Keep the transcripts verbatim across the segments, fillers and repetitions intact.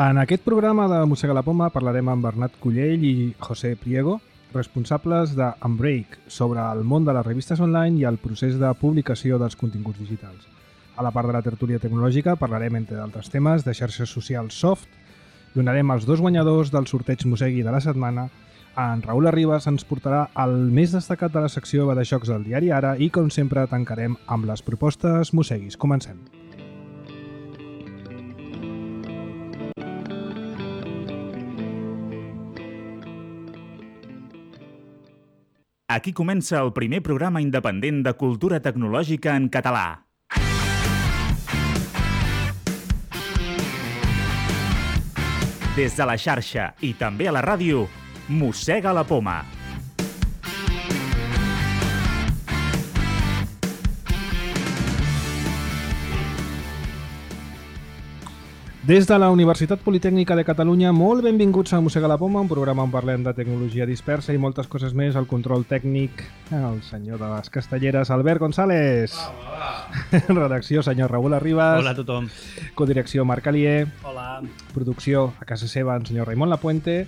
En aquest programa de Mossega la Poma parlarem amb Bernat Cullell i José Priego, responsables d'Unbreak, sobre el món de les revistes online i el procés de publicació dels continguts digitals. A la part de la tertúlia tecnològica parlarem, entre d'altres temes, de xarxes socials soft, donarem els dos guanyadors del sorteig Mossegui de la setmana. En Raül Arribas ens portarà el més destacat de la secció de jocs del diari Ara i, com sempre, tancarem amb les propostes Mosseguis. Comencem. Aquí comença el primer programa independent de cultura tecnològica en català. Des de la xarxa i també a la ràdio, Mossega la Poma. Des de la Universitat Politècnica de Catalunya, molt benvinguts a Mossega la Poma, un programa on parlem de tecnologia dispersa i moltes coses més. El control tècnic, el senyor de les Castelleres, Albert González. Hola, hola. Redacció, senyor Raül Arribas. Hola a tothom. Codirecció, Marc Alier. Hola. Producció, a casa seva, en senyor Raimon Lapuente.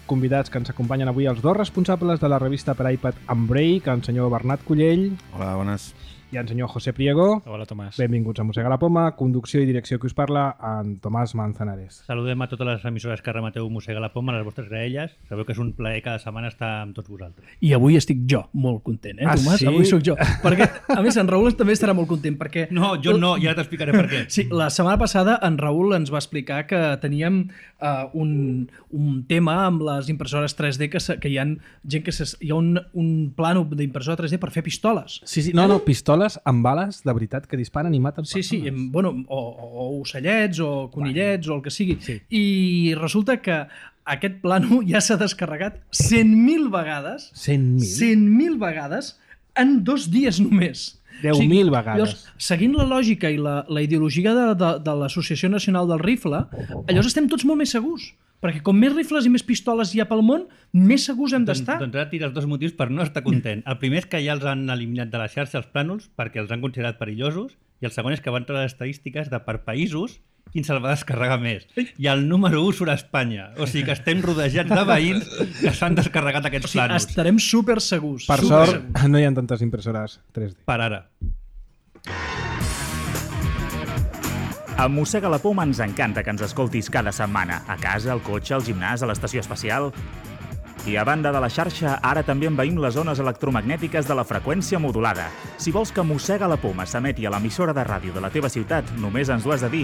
Convidats que ens acompanyen avui els dos responsables de la revista per iPad Unbreak, en senyor Bernat Cullell. Hola, bones. I en senyor José Priego. Hola, Tomàs. Benvinguts a Mossega la Poma. Conducció i direcció que us parla, en Tomàs Manzanares. Saludem a totes les emissores que remeteu Mossega la Poma, les vostres graelles. Sabeu que és un plaer cada setmana estar amb tots vosaltres. I avui estic jo molt content, eh, Ah, Tomàs? sí? Avui sóc jo. Perquè, a més, en Raül també estarà molt content, perquè... No, jo no, ja t'explicaré per què. Sí, la setmana passada en Raül ens va explicar que teníem uh, un, un tema amb les impressores tres D, que, se, que hi ha gent que se, hi ha un, un plano d'impressora tres D per fer pistoles. Sí, sí, no, no, pistoles amb bales de veritat que disparen i maten Sí, persones. sí, em, bueno, o, o ocellets, o conillets, bueno, o el que sigui. Sí. I resulta que aquest plano ja s'ha descarregat cent mil vegades. cent mil? cent mil vegades en dos dies només. deu mil vegades. Llavors, seguint la lògica i la, la ideologia de, de, de l'Associació Nacional del Rifle, llavors estem tots molt més segurs. Perquè com més rifles i més pistoles hi ha pel món, més segurs hem d'estar. Doncs, doncs ara tires dos motius per no estar content. El primer és que ja els han eliminat de la xarxa els plànols perquè els han considerat perillosos, i el segon és que van treure les estadístiques de per països quin se'l va descarregar més. I el número u surt a Espanya. O sigui que estem rodejats de veïns que s'han descarregat aquests O sigui, plànols. estarem super segurs. Per super sort, segurs. no hi ha tantes impressores tres D. Per ara. A Mossega la Poma ens encanta que ens escoltis cada setmana, a casa, al cotxe, al gimnàs, a l'estació espacial. I a banda de la xarxa, ara també envaïm les zones electromagnètiques de la freqüència modulada. Si vols que Mossega la Poma s'emeti a l'emissora de ràdio de la teva ciutat, només ens ho has de dir.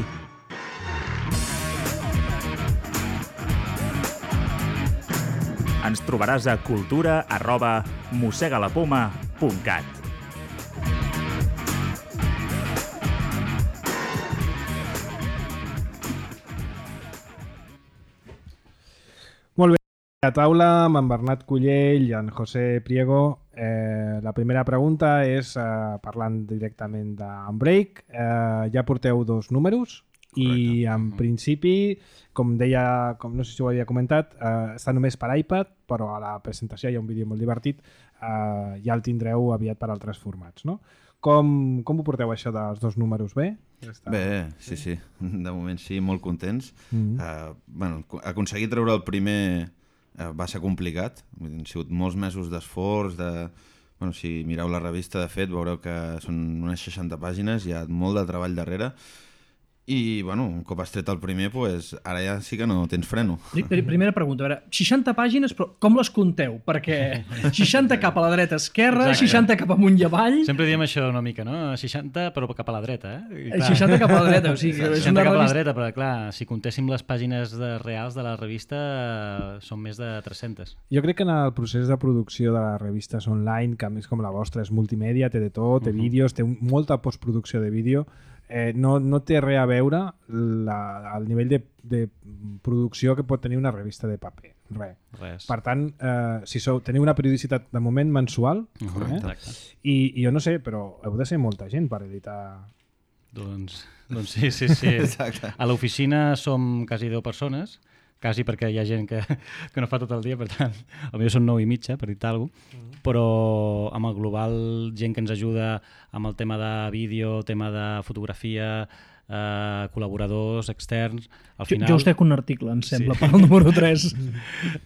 Ens trobaràs a cultura arroba mossegalapoma punt cat. Molt bé. A taula amb en Bernat Cullell i en José Priego. Eh, la primera pregunta és, eh, parlant directament d'Unbreak, eh, ja porteu dos números. I en principi, com deia, com no sé si ho havia comentat, eh, està només per iPad, però a la presentació hi ha un vídeo molt divertit, eh, ja el tindreu aviat per altres formats, no? Com, com ho porteu això dels dos números? Bé? Ja està. Bé, sí, sí. De moment sí, molt contents. Mm-hmm. uh, bueno, aconseguir treure el primer uh, va ser complicat. Han sigut molts mesos d'esforç, de... Bueno, si mireu la revista, de fet, veureu que són unes seixanta pàgines, hi ha molt de treball darrere. I, bueno, un cop has tret el primer, pues, ara ja sí que no tens freno. Primera pregunta, a veure, seixanta pàgines, però com les compteu? Perquè seixanta cap a la dreta esquerra, Exacte. seixanta cap amunt i avall, Sempre diem això una mica, no? seixanta però cap a la dreta, eh? I, clar, seixanta cap a la dreta. O sigui, que és seixanta una cap a la revista... dreta, però clar, si comptéssim les pàgines de, reals de la revista, eh, són més de tres-centes. Jo crec que en el procés de producció de les revistes online, que a més com la vostra és multimèdia, té de tot, té uh -huh. vídeos, té un, molta postproducció de vídeo, eh, no, no té res a veure la, el nivell de, de producció que pot tenir una revista de paper. Res. Res. Per tant, eh, si sou, teniu una periodicitat de moment mensual, Correcte. eh? I, i jo no sé, però heu de ser molta gent per editar... Doncs, doncs sí, sí, sí. Exacte. A l'oficina som quasi deu persones, quasi perquè hi ha gent que, que no fa tot el dia, per tant, potser són nou i mitja, per dir-te alguna cosa, mm. però amb el global, gent que ens ajuda amb el tema de vídeo, tema de fotografia, eh, col·laboradors externs... Al Jo, final, jo us trec un article, em sembla, sí. per al número tres.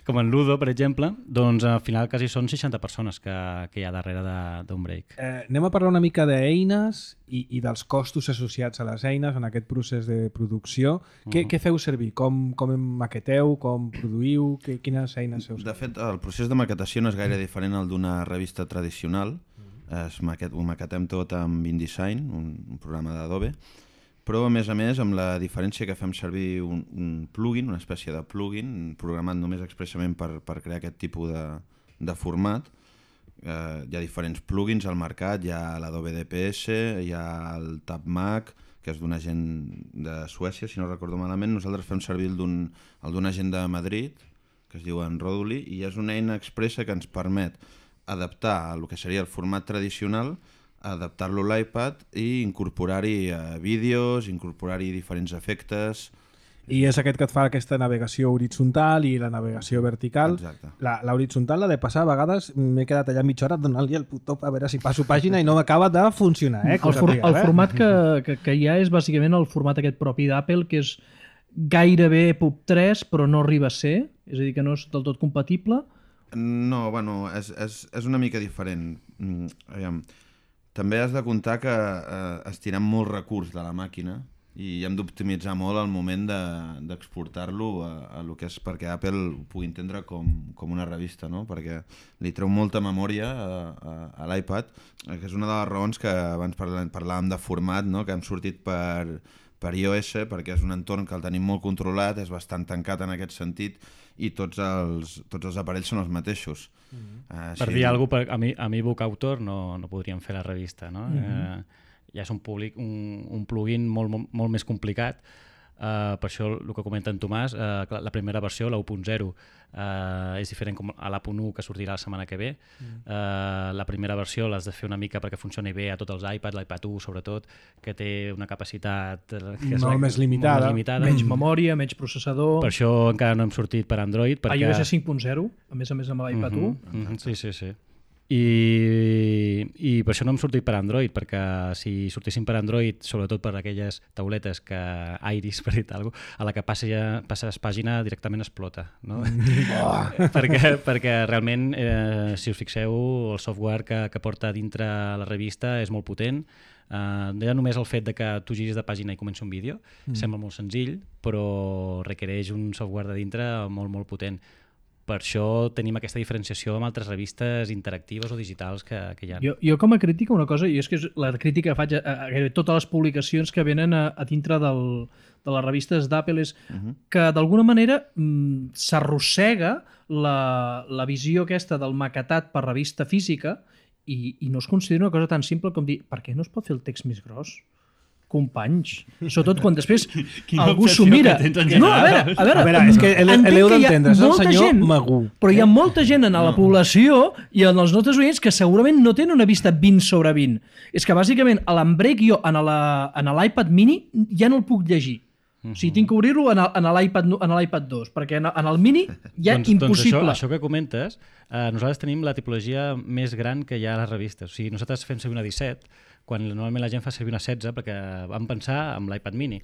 com en Ludo, per exemple, doncs al final quasi són seixanta persones que, que hi ha darrere d'un break. Eh, anem a parlar una mica d'eines i, i dels costos associats a les eines en aquest procés de producció. Uh-huh. Què, què feu servir? Com, com maqueteu? Com produïu? Que, quines eines feu servir? De fet, el procés de maquetació no és gaire diferent al d'una revista tradicional. Es maquet, ho maquetem tot amb InDesign, un, un programa d'Adobe, però a més a més amb la diferència que fem servir un, un plugin, una espècie de plugin programat només expressament per, per crear aquest tipus de, de format. Eh, hi ha diferents plugins al mercat, hi ha l'Adobe D P S, hi ha el TabMac, que és d'una gent de Suècia, si no recordo malament. Nosaltres fem servir el d'una gent de Madrid, que es diu Roduli, i és una eina expressa que ens permet adaptar el que seria el format tradicional, adaptar-lo a l'iPad i incorporar-hi eh, vídeos, incorporar-hi diferents efectes. I és aquest que et fa aquesta navegació horitzontal i la navegació vertical. Exacte. La, la horitzontal, la de passar, a vegades m'he quedat allà mitja hora donant-li el botó a veure si passo pàgina i no m'acaba de funcionar. Eh, el, for, el format que, que, que hi ha és bàsicament el format aquest propi d'Apple, que és gairebé P U B tres, però no arriba a ser, és a dir, que no és del tot compatible. No, bueno, és, és, és una mica diferent. Mm, aviam. També has de comptar que eh, estirem molt recurs de la màquina i hem d'optimitzar molt el moment d'exportar-lo de, a, a lo que és perquè Apple ho pugui entendre com, com una revista, no? Perquè li treu molta memòria a, a, a l'iPad, que és una de les raons que abans parlàvem, parlàvem de format, no? Que hem sortit per, per iOS, perquè és un entorn que el tenim molt controlat, és bastant tancat en aquest sentit, i tots els, tots els aparells són els mateixos. Mm-hmm. uh, per sí, dir alguna cosa, a mi, a mi Book Autor no, no podríem fer la revista, no? Mm-hmm. eh, ja és un, public, un, un plugin molt, molt, molt més complicat. Uh, per això el que comenta en Tomàs, uh, la primera versió, la u punt zero, uh, és diferent com a l'A punt u que sortirà la setmana que ve. Mm. Uh, la primera versió l'has de fer una mica perquè funcioni bé a tots els iPads, l'iPad u sobretot, que té una capacitat que és molt la, més limitada. Molt més limitada. Menys memòria, menys processador. Per això encara no hem sortit per Android. Perquè... iOS cinc punt zero, a més a més amb l'iPad uh-huh, u. Uh-huh, sí, sí, sí. I, i per això no hem sortit per Android, perquè si sortíssim per Android, sobretot per aquelles tauletes que Iris, per dir alguna cosa, a la que passes, passes pàgina directament explota, no? Oh. perquè, perquè realment, eh, si us fixeu, el software que, que porta dintre la revista és molt potent. Uh, ja només el fet de que tu giris de pàgina i comenci un vídeo mm. sembla molt senzill, però requereix un software de dintre molt, molt potent. Per això tenim aquesta diferenciació amb altres revistes interactives o digitals que, que hi ha. Jo, jo com a crítica una cosa, i és que és la crítica que faig a, a, a totes les publicacions que venen a, a dintre del, de les revistes d'Apple és uh-huh. que d'alguna manera mm, s'arrossega la, la visió aquesta del maquetat per revista física i, i no es considera una cosa tan simple com dir per què no es pot fer el text més gros? Companys, sobretot quan després Quina algú s'ho mira. No, a veure, a veure, a veure és que l'heu d'entendre, és el senyor gent, Magú. Però hi ha molta gent en la població i en els nostres oients que segurament no tenen una vista vint sobre vint. És que bàsicament a l'Embrec jo en l'iPad mini ja no el puc llegir. Uh-huh. O sigui, tinc que obrir-lo en l'iPad dos, perquè en el mini ja doncs, impossible. Doncs això, això que comentes, eh, nosaltres tenim la tipologia més gran que hi ha a les revistes. O sigui, nosaltres fem servir una disset, quan normalment la gent fa servir una setze, perquè vam pensar amb l'iPad mini.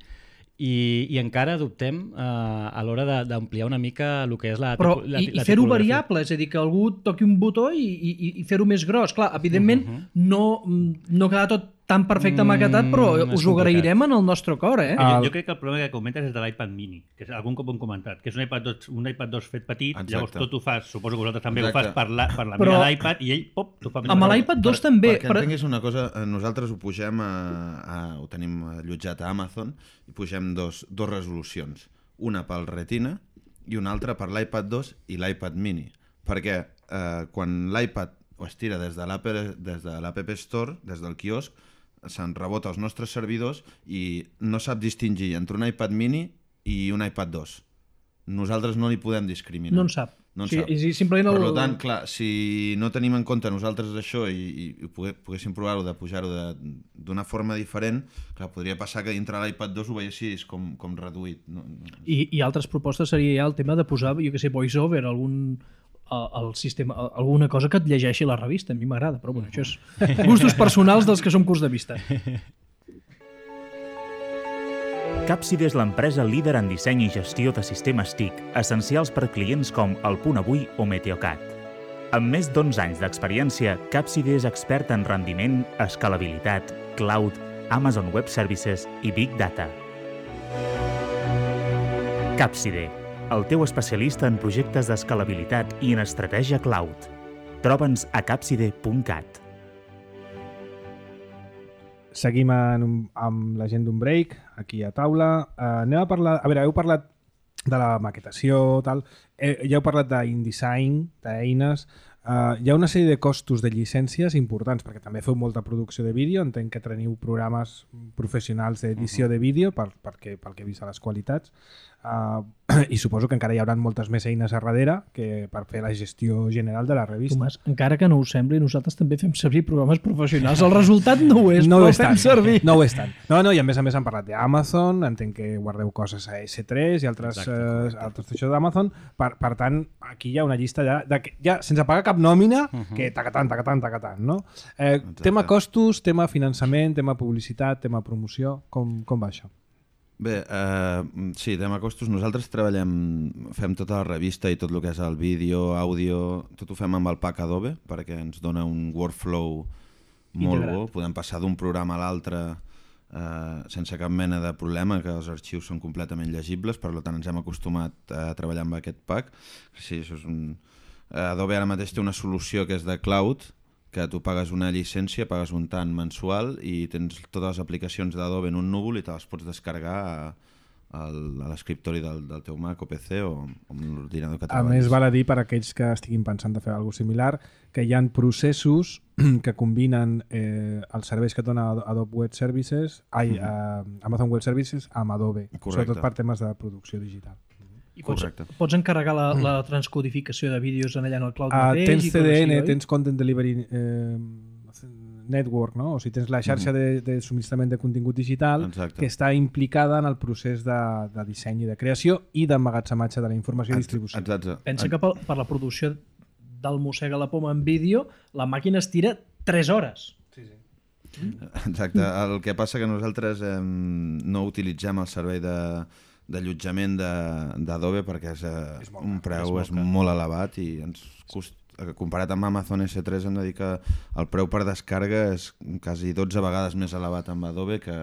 I, i encara dubtem eh, a l'hora d'ampliar una mica el que és la, Però, la, i, la i fer-ho variable, és a dir, que algú toqui un botó i, i, i fer-ho més gros. Clar, evidentment, uh-huh. no, no queda tot tan perfecte maquetat, però mm, us ho agrairem en el nostre cor, eh? Jo, jo crec que el problema que comentes és de l'iPad mini, que és, algun cop ho hem comentat, que és un iPad dos, un iPad dos fet petit, Exacte. Llavors tot ho fas, suposo que vosaltres també Exacte. ho fas per la, per la però, mida d'iPad i ell, pop, t'ho fa més amb l'iPad dos per, també. Perquè entenguis una cosa, nosaltres ho pugem, a, a, ho tenim allotjat a Amazon i pugem dos, dos resolucions, una pel Retina i una altra per l'iPad dos i l'iPad mini, perquè eh, quan l'iPad ho estira des de l'App Store, des del quiosc, se'n rebota als nostres servidors i no sap distingir entre un iPad mini i un iPad dos. Nosaltres no li podem discriminar. No en sap. No en sí, sap. I simplement el... Per tant, clar, si no tenim en compte nosaltres això i, i poguéssim provar-ho de pujar-ho d'una forma diferent, clar, podria passar que dintre l'iPad dos ho veiessis com, com reduït. No, no. I, I altres propostes seria ja el tema de posar, jo que sé, voice-over, algun... El sistema, alguna cosa que et llegeixi la revista. A mi m'agrada, però bueno, això és gustos personals dels que som curts de vista. Capside és l'empresa líder en disseny i gestió de sistemes T I C, essencials per clients com El Punt Avui o Meteocat. Amb més d'onze anys d'experiència, Capside és expert en rendiment, escalabilitat, cloud, Amazon Web Services i Big Data. Capside, el teu especialista en projectes d'escalabilitat i en estratègia cloud. Troba'ns a capside punt cat. Seguim en un, amb la gent d'un break, aquí a taula. Uh, anem a parlar... A veure, heu parlat de la maquetació, tal. Eh, ja heu parlat d'InDesign, d'eines. Uh, hi ha una sèrie de costos de llicències importants, perquè també feu molta producció de vídeo. Entenc que teniu programes professionals d'edició de vídeo, per, perquè, pel que he vist a les qualitats. Uh, I suposo que encara hi haurà moltes més eines a darrere que per fer la gestió general de la revista. Tomàs, encara que no ho sembli, nosaltres també fem servir programes professionals. El resultat no ho és, no però ho ho fem tant, servir. No ho és tant. No, no, i a més a més han parlat d'Amazon, entenc que guardeu coses a esse tres i altres, Exacte, eh, altres això d'Amazon. Per, per tant, aquí hi ha una llista ja, de, ja sense pagar cap nòmina, uh -huh. que tacatant, tacatant, tacatant, no? Eh, tema costos, tema finançament, tema publicitat, tema promoció, com, com va això? Bé, eh, sí, tema costos. Nosaltres treballem, fem tota la revista i tot el que és el vídeo, àudio, tot ho fem amb el pack Adobe perquè ens dona un workflow molt Integrat. bo. Podem passar d'un programa a l'altre eh, sense cap mena de problema, que els arxius són completament llegibles, per tant ens hem acostumat a treballar amb aquest pack. Sí, això és un... Adobe ara mateix té una solució que és de cloud, que tu pagues una llicència, pagues un tant mensual i tens totes les aplicacions d'Adobe en un núvol i te les pots descarregar a, a l'escriptori del, del teu Mac o P C o, o amb l'ordinador que treballis. A més, val a dir per aquells que estiguin pensant de fer alguna cosa similar que hi ha processos que combinen eh, els serveis que dona Adobe Web Services, ai, eh, Amazon Web Services amb Adobe, Correcte. sobretot per temes de producció digital. I pots, pots encarregar la, la transcodificació de vídeos en allà en el cloud uh, mateix? Tens C D N, així, tens Content Delivery eh, Network, no? O sigui, tens la xarxa mm. de, de subministrament de contingut digital Exacte. que està implicada en el procés de, de disseny i de creació i d'emmagatzematge de la informació i distribució. Exacte. Pensa que per, per la producció del Mossega la Poma en vídeo, la màquina es tira tres hores. Sí, sí. Exacte. El que passa que nosaltres eh, no utilitzem el servei de d'allotjament d'Adobe perquè és, eh, és un preu és molt, és molt elevat i ens cost, comparat amb Amazon esse tres hem de dir que el preu per descàrrega és quasi dotze vegades més elevat amb Adobe que,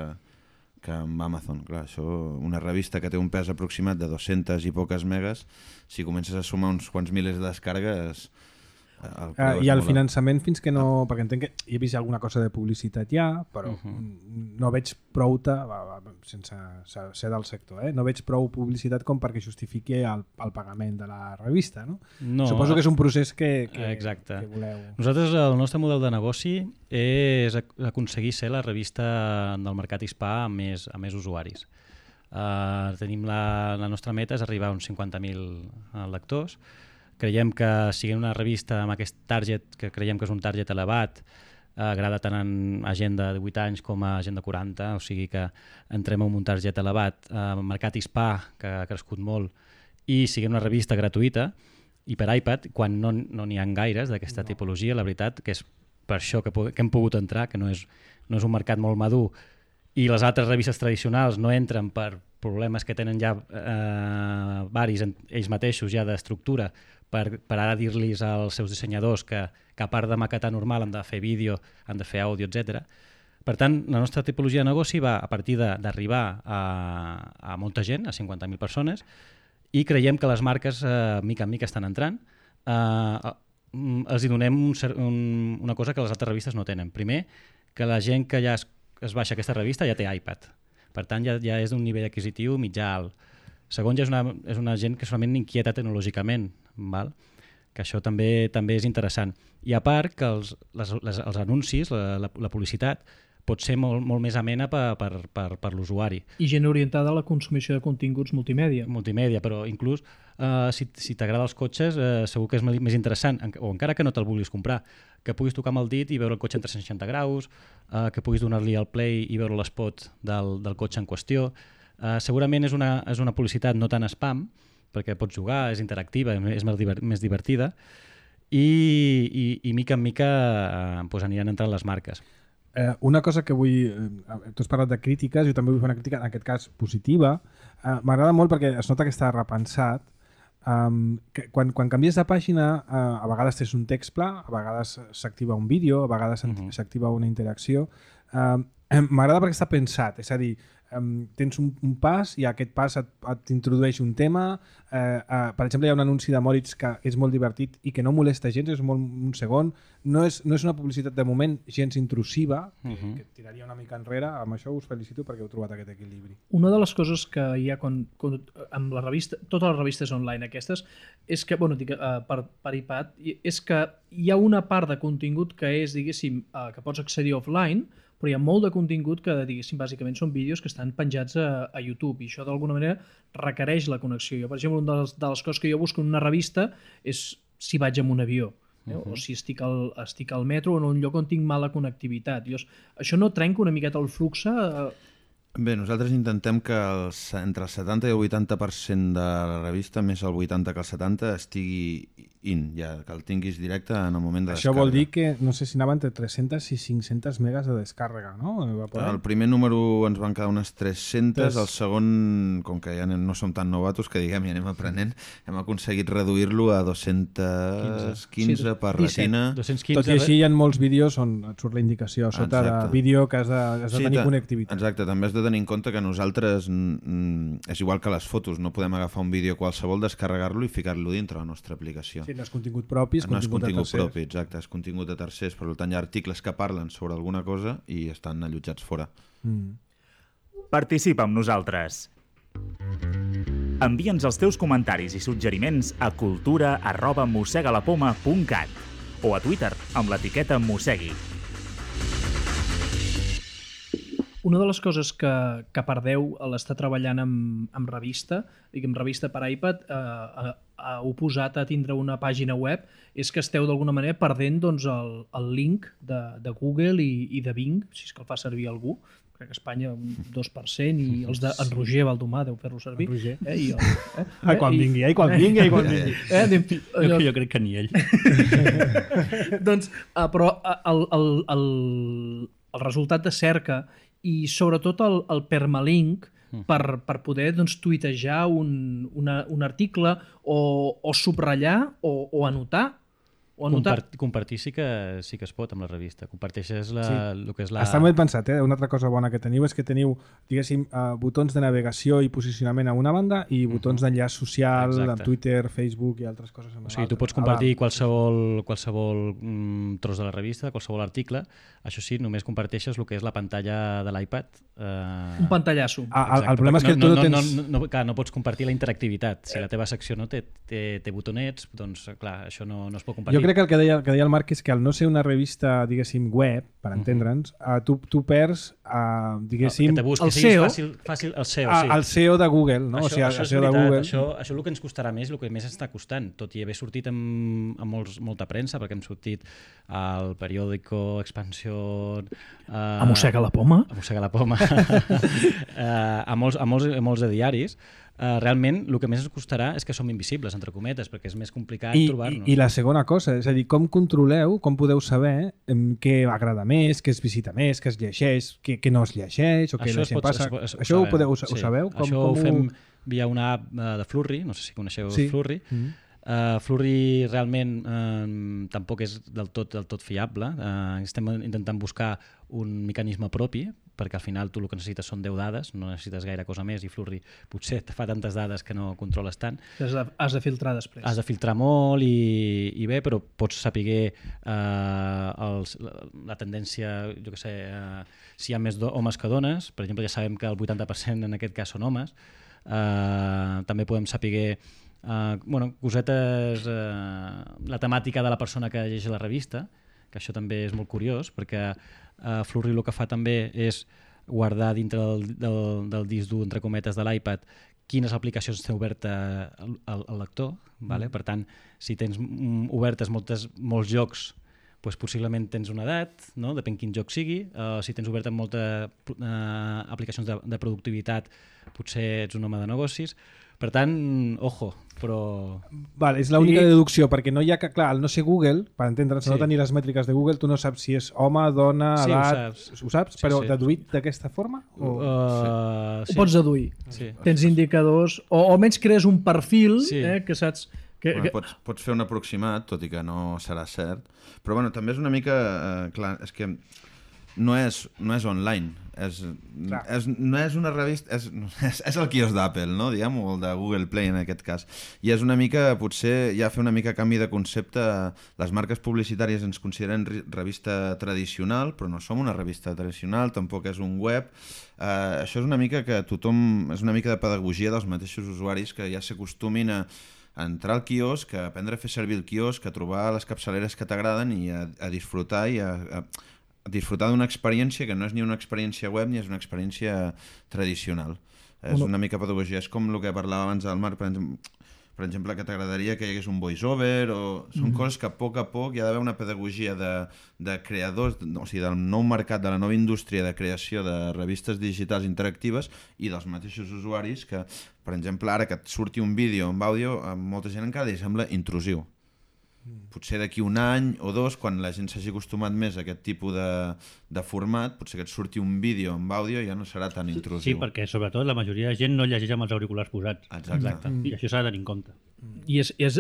que amb Amazon. Clar, això, una revista que té un pes aproximat de dues-centes i poques megas, si comences a sumar uns quants milers de descàrregues... El uh, I el finançament fins que no... Ah. Perquè entenc que hi he vist alguna cosa de publicitat ja, però uh -huh. no veig prou, sense ser del sector, eh? no veig prou publicitat com perquè justifiqui el, el pagament de la revista. No? No, Suposo que és un procés que, que, exacte. que voleu... Nosaltres, el nostre model de negoci és aconseguir ser la revista del mercat hispà amb més, amb més usuaris. Uh, tenim la, la nostra meta és arribar a uns cinquanta mil lectors. Creiem que siguin una revista amb aquest target, que creiem que és un target elevat, eh, agrada tant a gent de divuit anys com a gent de quaranta, o sigui que entrem en un target elevat, eh, mercat hispà, que ha crescut molt, i sigui una revista gratuïta, i per iPad, quan no n'hi no ha gaires d'aquesta no. tipologia, la veritat que és per això que, que hem pogut entrar, que no és, no és un mercat molt madur, i les altres revistes tradicionals no entren per problemes que tenen ja eh, varis ells mateixos ja d'estructura, per, per ara dir-los als seus dissenyadors que, que a part de maquetar normal han de fer vídeo, han de fer àudio, etcètera. Per tant, la nostra tipologia de negoci va a partir d'arribar a, a molta gent, a cinquanta mil persones, i creiem que les marques eh, mica en mica estan entrant. Eh, els hi donem un, un, una cosa que les altres revistes no tenen. Primer, que la gent que ja es, es baixa aquesta revista ja té iPad. Per tant, ja, ja és d'un nivell adquisitiu mitjà alt. Segon, ja és una, és una gent que solament inquieta tecnològicament, val? Que això també també és interessant. I a part que els, les, les, els anuncis, la, la, la publicitat, pot ser molt, molt més amena per, per, per, per l'usuari. I gent orientada a la consumició de continguts multimèdia. Multimèdia, però inclús eh, si, si t'agrada els cotxes eh, segur que és més interessant, o encara que no te'l vulguis comprar, que puguis tocar amb el dit i veure el cotxe en tres-cents seixanta graus, eh, que puguis donar-li al play i veure l'espot del, del cotxe en qüestió. Uh, segurament és una, és una publicitat no tan spam, perquè pots jugar, és interactiva, és més, divert, més divertida, i, i, i mica en mica uh, pues aniran entrant les marques. Eh, una cosa que vull... Eh, tu has parlat de crítiques, jo també vull fer una crítica, en aquest cas positiva. Eh, M'agrada molt perquè es nota que està repensat. Um, que quan, quan canvies de pàgina, uh, a vegades tens un text pla, a vegades s'activa un vídeo, a vegades uh-huh. s'activa una interacció. Uh, M'agrada perquè està pensat, és a dir, um, tens un, un pas i aquest pas et, et introdueix un tema. Uh, uh, per exemple, hi ha un anunci de Moritz que és molt divertit i que no molesta gens, és molt un segon. No és, no és una publicitat de moment gens intrusiva, que, uh-huh. que tiraria una mica enrere. Amb això us felicito perquè heu trobat aquest equilibri. Una de les coses que hi ha quan, quan, amb la revista, totes les revistes online aquestes, és que, bueno, dic, uh, per, per iPad, és que hi ha una part de contingut que és, diguéssim, uh, que pots accedir offline, però hi ha molt de contingut que, diguéssim, bàsicament són vídeos que estan penjats a, a YouTube i això d'alguna manera requereix la connexió. Jo, per exemple, una de les, de les coses que jo busco en una revista és si vaig en un avió. Eh? Uh-huh. O si estic al, estic al metro o en un lloc on tinc mala connectivitat. Jo, això no trenca una miqueta el flux? Eh? Bé, nosaltres intentem que els, entre el setanta i el vuitanta per cent de la revista, més el vuitanta que el setanta, estigui in, ja, que el tinguis directe en el moment de Això descàrrega. vol dir que, no sé si anava entre tres-centes i cinc-centes megas de descàrrega, no? El primer número ens van quedar unes tres-centes, el segon, com que ja no som tan novatos, que diguem, ja anem aprenent, hem aconseguit reduir-lo a dos-cents quinze per retina. dos-cents quinze. Tot i així hi ha molts vídeos on et surt la indicació a sota Exacte. de vídeo que has de, has de Sí, tenir ta- connectivitat. Exacte, també has de tenir en compte que nosaltres mm, és igual que les fotos, no podem agafar un vídeo qualsevol, descarregar-lo i ficar-lo dintre la nostra aplicació. Sí, no és contingut propi, és No és contingut, contingut de tercers. propi, exacte, és contingut de tercers, per tant hi ha articles que parlen sobre alguna cosa i estan allotjats fora. Mm. Participa amb nosaltres. Envia'ns els teus comentaris i suggeriments a cultura arroba mossegalapoma punt cat o a Twitter amb l'etiqueta mossegui. Una de les coses que, que perdeu a l'estar treballant amb, amb revista, diguem revista per iPad, eh, eh, eh, oposat a tindre una pàgina web, és que esteu d'alguna manera perdent doncs, el, el link de, de Google i, i de Bing, si és que el fa servir algú. Crec que a Espanya un dos per cent i els de en Roger Valdomà deu fer-lo servir. En Roger. Eh, i el, eh, Ai, quan i- vingui, ai, quan vingui, ai, quan vingui. Eh, anem, Jo, jo crec que ni ell. doncs, uh, però uh, el, el, el, el resultat de cerca i sobretot el, el permalink per, per poder doncs, tuitejar un, una, un article o, o subratllar o, o anotar. O anotar. Compart compartir sí que, sí que es pot amb la revista. Comparteixes la, Sí. el que és la... Està molt pensat, eh? Una altra cosa bona que teniu és que teniu, diguéssim, uh, botons de navegació i posicionament a una banda i botons uh -huh. d'enllaç social Exacte. amb Twitter, Facebook i altres coses. O sigui, tu pots compartir qualsevol, qualsevol mm, tros de la revista, qualsevol article. Això sí, només comparteixes el que és la pantalla de l'iPad. Eh... Un pantallasso. Ah, el, el problema és que tu no, no, tens... no, no, no, clar, no pots compartir la interactivitat. Si la teva secció no té, té, té botonets, doncs clar, això no, no es pot compartir. Jo crec que el que deia, el que deia el Marc és que al no ser una revista, diguéssim, web, per entendre'ns, uh, tu, tu perds, uh, diguéssim, que te busquis, el siguis S E O. Fàcil, fàcil, el S E O, a, sí. el S E O de Google, no? Això, o sigui, això el és S E O de veritat, Google. això, això és el que ens costarà més i el que més està costant, tot i haver sortit amb, amb molts, molta premsa, perquè hem sortit al periòdico Expansió... Eh, A mossega la poma. a mossega la poma, eh, a, molts, a, molts, a molts de diaris. Eh, realment, el que més ens costarà és que som invisibles, entre cometes, perquè és més complicat I, i, trobar-nos. I la segona cosa, és a dir, com controleu, com podeu saber em, què agrada més, què es visita més, què es llegeix, què, què no es llegeix, o què Això la es gent pot- passa. es pot- es- Això ho, sabem, podeu, ho sí. sabeu? Com, Això com ho fem via una app eh, de Flurry, no sé si coneixeu Sí. Flurry. Mm -hmm. Uh, Flurry realment uh, tampoc és del tot, del tot fiable. Uh, estem intentant buscar un mecanisme propi, perquè al final tu el que necessites són deu dades, no necessites gaire cosa més, i Flurry potser te fa tantes dades que no controles tant. Has de, has de filtrar després. Has de filtrar molt i, i bé, però pots saber uh, els, la, la tendència, jo què sé, uh, si hi ha més do, homes que dones. Per exemple, ja sabem que el vuitanta per cent en aquest cas són homes. Uh, també podem saber Uh, bueno, cosetes, uh, la temàtica de la persona que llegeix la revista, que això també és molt curiós, perquè uh, Flurry el que fa també és guardar dintre del, del, del disc dur, entre cometes, de l'iPad, quines aplicacions té oberta el, el, el lector. Vale? Per tant, si tens mm, obertes moltes, molts jocs, doncs possiblement tens una edat, no? Depèn quin joc sigui. Uh, si tens obertes moltes uh, aplicacions de, de productivitat, potser ets un home de negocis. Per tant, ojo, però... Val, és l'única Sí. deducció, perquè no hi ha que, clar, al no ser Google, per entendre'ns, sí. no Sí. tenir les mètriques de Google, tu no saps si és home, dona, Sí, ho edat... saps. Ho saps? Sí, Però sí. deduït d'aquesta forma? O... Uh, Ho pots deduir. Sí. Tens indicadors, o almenys crees un perfil Sí. eh, que saps... Que, Bueno, que... pots, pots fer un aproximat, tot i que no serà cert. Però bueno, també és una mica... Eh, clar, és que no és, no és online. És, és, no és una revista... És, és, és el quios d'Apple, no? Diguem, o el de Google Play en aquest cas. I és una mica, potser, ja fer una mica canvi de concepte. Les marques publicitàries ens consideren revista tradicional, però no som una revista tradicional, tampoc és un web. Uh, això és una mica que tothom... És una mica de pedagogia dels mateixos usuaris que ja s'acostumin a a entrar al quiosc, a aprendre a fer servir el quiosc, a trobar les capçaleres que t'agraden i a, a disfrutar i a, a, a disfrutar d'una experiència que no és ni una experiència web ni és una experiència tradicional. És Una- una mica pedagogia. És com el que parlava abans el Marc, per exemple, per exemple que t'agradaria que hi hagués un voice-over, o són mm. coses que a poc a poc hi ha d'haver una pedagogia de, de creadors, o sigui, del nou mercat, de la nova indústria de creació de revistes digitals interactives i dels mateixos usuaris que, per exemple, ara que et surti un vídeo amb àudio, a molta gent encara li sembla intrusiu. Potser d'aquí un any o dos, quan la gent s'hagi acostumat més a aquest tipus de, de format, potser que et surti un vídeo amb àudio ja no serà tan intrusiu. Sí, perquè sobretot la majoria de gent no llegeix amb els auriculars posats. Exacte. Exacte. I això s'ha de tenir en compte. I és, és,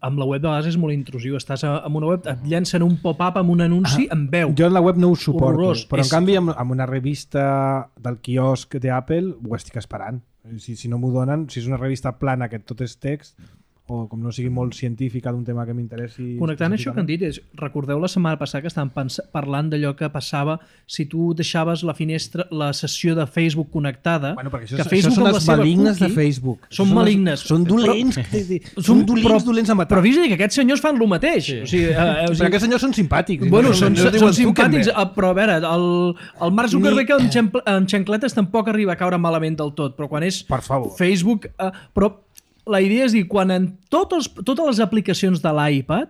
amb la web de vegades és molt intrusiu. Estàs a, amb una web, et llencen un pop-up amb un anunci amb veu. Jo en la web no ho suporto, Horrorós. però en És- canvi amb, amb una revista del quiosc d'Apple ho estic esperant. Si, si no m'ho donen, si és una revista plana que tot és text, o com no sigui molt científica d'un tema que m'interessi... Connectant això que han dit, és, recordeu la setmana passada que estàvem pens- parlant d'allò que passava si tu deixaves la finestra, la sessió de Facebook connectada, Bueno, perquè això, que això Facebook són amb la els seva malignes de cookie- Facebook. Són les- malignes. Són dolents. Però- Són dolents, però, dolents a matar. Però vist que aquests senyors fan el mateix. Sí. O sigui, eh, eh, o Però sigui, aquests senyors són simpàtics. Bueno, no, són, no es són diuen simpàtics, Zuckerberg. eh, però a veure, el, el Mark Zuckerberg Ni- amb, xampl amb xancletes tampoc arriba a caure malament del tot, però quan és Per favor. Facebook... Eh, però la idea és dir, quan en tots, totes les aplicacions de l'iPad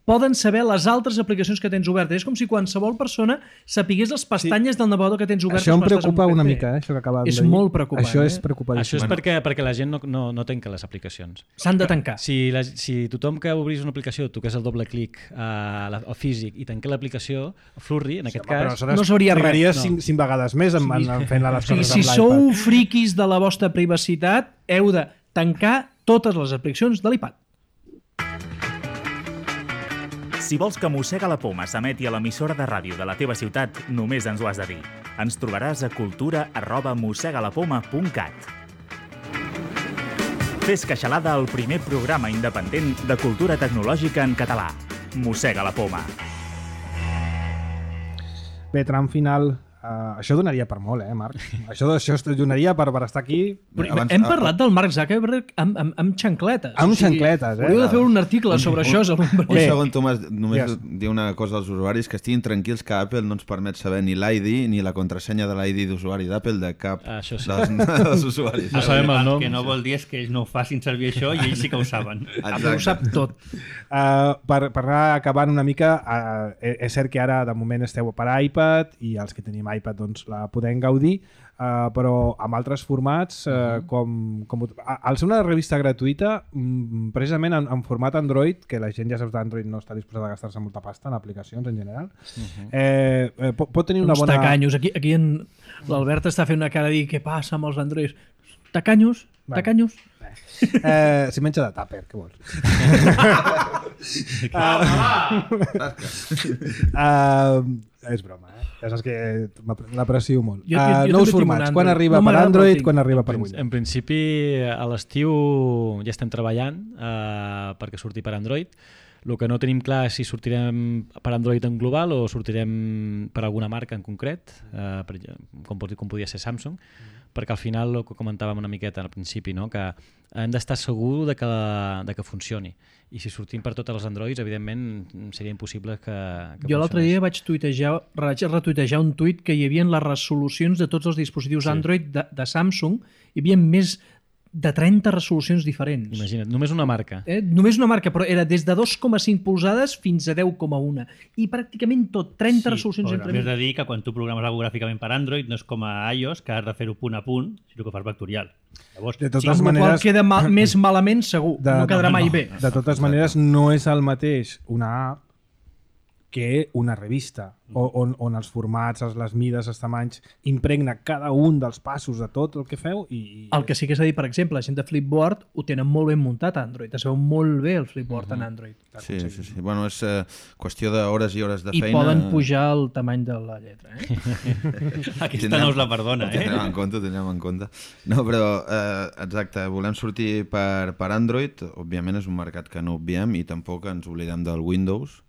poden saber les altres aplicacions que tens obertes. És com si qualsevol persona sapigués les pestanyes sí. del navegador que tens obertes. Això em quan estàs en preocupa un una P C. mica, eh, això que acabem És de dir. molt preocupant, Això eh? és preocupant. Això és Bueno. perquè, perquè la gent no, no, no tanca les aplicacions. S'han de tancar. Si, la, si tothom que obrís una aplicació toqués el doble clic a la, al físic i tanqués l'aplicació, Flurry, en aquest Però cas... aleshores no sabria res, trigaries no. cinc, cinc vegades més en, en, en fent les O sigui, coses si amb sou l'iPad. friquis de la vostra privacitat, heu de tancar totes les aplicacions de l'iPad. Si vols que Mossega la Poma s'emeti a l'emissora de ràdio de la teva ciutat, només ens ho has de dir. Ens trobaràs a cultura arroba mossegalapoma punt cat. Fes queixalada al primer programa independent de cultura tecnològica en català. Mossega la Poma. Bé, tram final. Uh, això donaria per molt, eh, Marc? Això, això es donaria per, per estar aquí Però Abans- hem parlat del Mark Zuckerberg amb, amb, amb xancletes. amb xancletes, eh? Hauríeu de fer un article sobre això. És el... Un Bé. segon, Tomàs, només Digues. dir una cosa als usuaris, que estiguin tranquils que Apple no ens permet saber ni l'I D ni la contrasenya de l'I D d'usuari d'Apple de cap Ah, això sí. dels, dels usuaris. No sabem el nom. que no vol dir és que ells no ho facin servir això i ells sí que ho saben. Apple ho sap tot. Uh, per, per anar acabant una mica, uh, és cert que ara de moment esteu per iPad i els que tenim iPad doncs, la podem gaudir, uh, però amb altres formats, uh, com, com al ser una revista gratuïta, mm, precisament en, en format Android, que la gent ja saps d'Android no està disposada a gastar-se molta pasta en aplicacions en general, uh-huh. eh, eh, pot, pot tenir una Uns bona... tacanyos. Aquí, aquí en... l'Albert està fent una cara de dir què passa amb els Androids. Tacanyos, Bueno. tacanyos. Eh, si menja de tàper, què vols? uh, és broma, eh? Ja saps que m'ap- l'aprecio molt. Jo- jo- jo Uh, també nous tinc un formats, quan Android. arriba No per m'agrada, però Android, tinc. quan arriba per En, Windows. en principi, a l'estiu ja estem treballant eh, perquè surti per Android. El que no tenim clar és si sortirem per Android en global o sortirem per alguna marca en concret, eh, per, com, pot- com podia ser Samsung, perquè al final, el que comentàvem una miqueta al principi, no? Que hem d'estar segur de que, de que funcioni. I si sortim per totes les Androids, evidentment, seria impossible que, que Jo l'altre funcionés. dia vaig tuitejar, vaig retuitejar un tuit que hi havia les resolucions de tots els dispositius Sí. Android de, de Samsung. Hi havia més de trenta resolucions diferents. Imagina't, només una marca. Eh? Només una marca, però era des de dos coma cinc polzades fins a deu coma un. I pràcticament tot, trenta Sí, resolucions però entre també mig. has de dir que quan tu programes algo gràficament per Android no és com a iOS, que has de fer-ho punt a punt, sinó que ho fas vectorial. Llavors, De Sí, totes amb la qual maneres, queda mal, més malament segur, De- no quedarà no, mai no. bé. de totes maneres, no és el mateix una app que una revista, o- on, on els formats, els- les mides, els tamanys, impregna cada un dels passos de tot el que feu i... i El que sí que s'ha dit, per exemple, la gent de Flipboard ho tenen molt ben muntat a Android. Es veu molt bé el Flipboard en Android. Sí, sí, sí. Bueno, és eh, qüestió d'hores i hores de I feina. poden pujar el tamany de la lletra. Eh? aquesta Tindrem- no us la perdona, ho eh? Tindrem en compte, ho tindrem en compte. No, però, eh, exacte, volem sortir per, per Android. Òbviament és un mercat que no obviem i tampoc ens oblidem del Windows,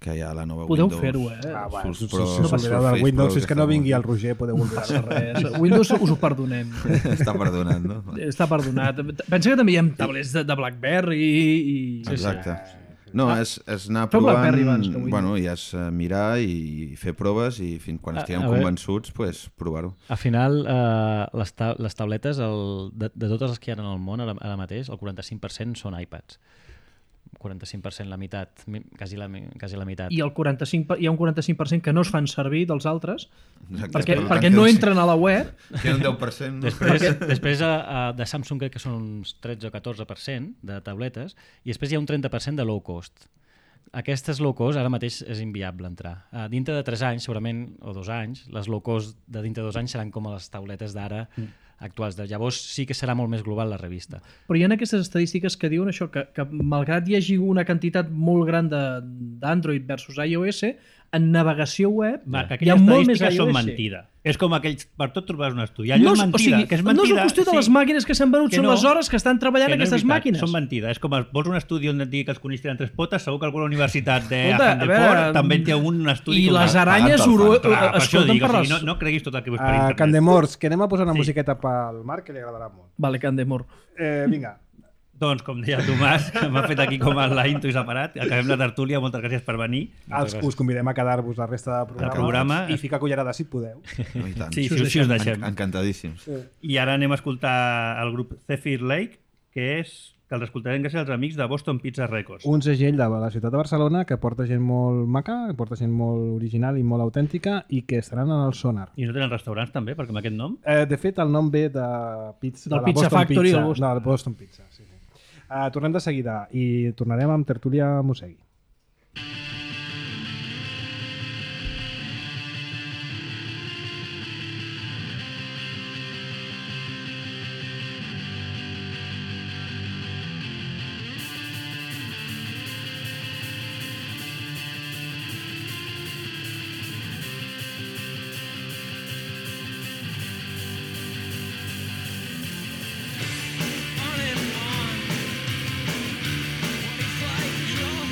que hi ha la nova Podeu Windows. fer-ho, eh? Ah, bueno, Surts si, Pro- si us Surface oblideu del Pro, Windows, si és que no està vingui molt el Roger, podeu oblidar-se. Res. Windows us ho perdonem. Està perdonat, no? Està perdonat. Pensa que també hi ha tablets de, de BlackBerry i... Exacte. No, és, és anar Feu provant, BlackBerry abans que Windows. bueno, i és eh, mirar i fer proves i fins quan A- estiguem a veure. convençuts, pues, provar-ho. Al final, eh, les, ta les tabletes, el, de, de totes les que hi ha en el món ara, ara mateix, el quaranta-cinc per cent són iPads. quaranta-cinc per cent la meitat, mi- quasi la, mi- quasi la meitat. I el quaranta-cinc, per- hi ha un quaranta-cinc per cent que no es fan servir dels altres Exacte. perquè, Per tant, perquè que no el- entren a la web. Queda un deu per cent. No? Després, després a, a, de Samsung crec que són uns tretze o catorze per cent de tabletes i després hi ha un trenta per cent de low cost. Aquestes low cost ara mateix és inviable entrar. Uh, dintre de tres anys, segurament, o dos anys, les low cost de dintre de dos anys seran com les tauletes d'ara mm. actuals. De llavors sí que serà molt més global la revista. Però hi ha aquestes estadístiques que diuen això, que, que malgrat hi hagi una quantitat molt gran de- d'Android versus iOS, en navegació web Va, que hi ha aquelles molt més estadístiques són iOS. mentida. És com aquells... Per tot trobaràs un estudi. Allò No és és, o mentida, sigui, que és no mentida. és una qüestió de les màquines que s'han venut, Que són no, les hores que estan treballant que no és aquestes veritat, màquines. Són mentida. És com el, vols un estudi on et digui que els conills tenen tres potes, segur que alguna universitat de Escolta, a Handleport veure, també té un estudi... I com les el- aranyes Pagant oro, pel fan. Clar, per això escolten dic, per o les... sigui, no, no creguis tot el que veus per Uh, internet. Candemors, que anem a posar una Sí. musiqueta pel Marc, que li agradarà molt. Vale, Candemor. Eh, vinga. Doncs, com deia el Tomàs, que m'ha fet aquí com la intro i separat, acabem la tertúlia, moltes gràcies per venir. Els, us convidem a quedar-vos la resta del programa, programa. i ficar cullerada si podeu. No, i tant. Sí, si, us- si us deixem. Encantadíssims. I ara anem a escoltar el grup Zephyr Lake, que és que els escoltarem gràcies als amics de Boston Pizza Records. Un segell de la ciutat de Barcelona que porta gent molt maca, que porta gent molt original i molt autèntica i que estaran en el Sonar. I no tenen restaurants també, perquè amb aquest nom? Eh, de fet, el nom ve de, pizza, Del de la Pizza Boston Factory Pizza. del Boston. No, del Boston Pizza, sí, sí. Uh, tornem de seguida i tornarem amb Tertúlia Mosegui. On and on, twenty-five years old,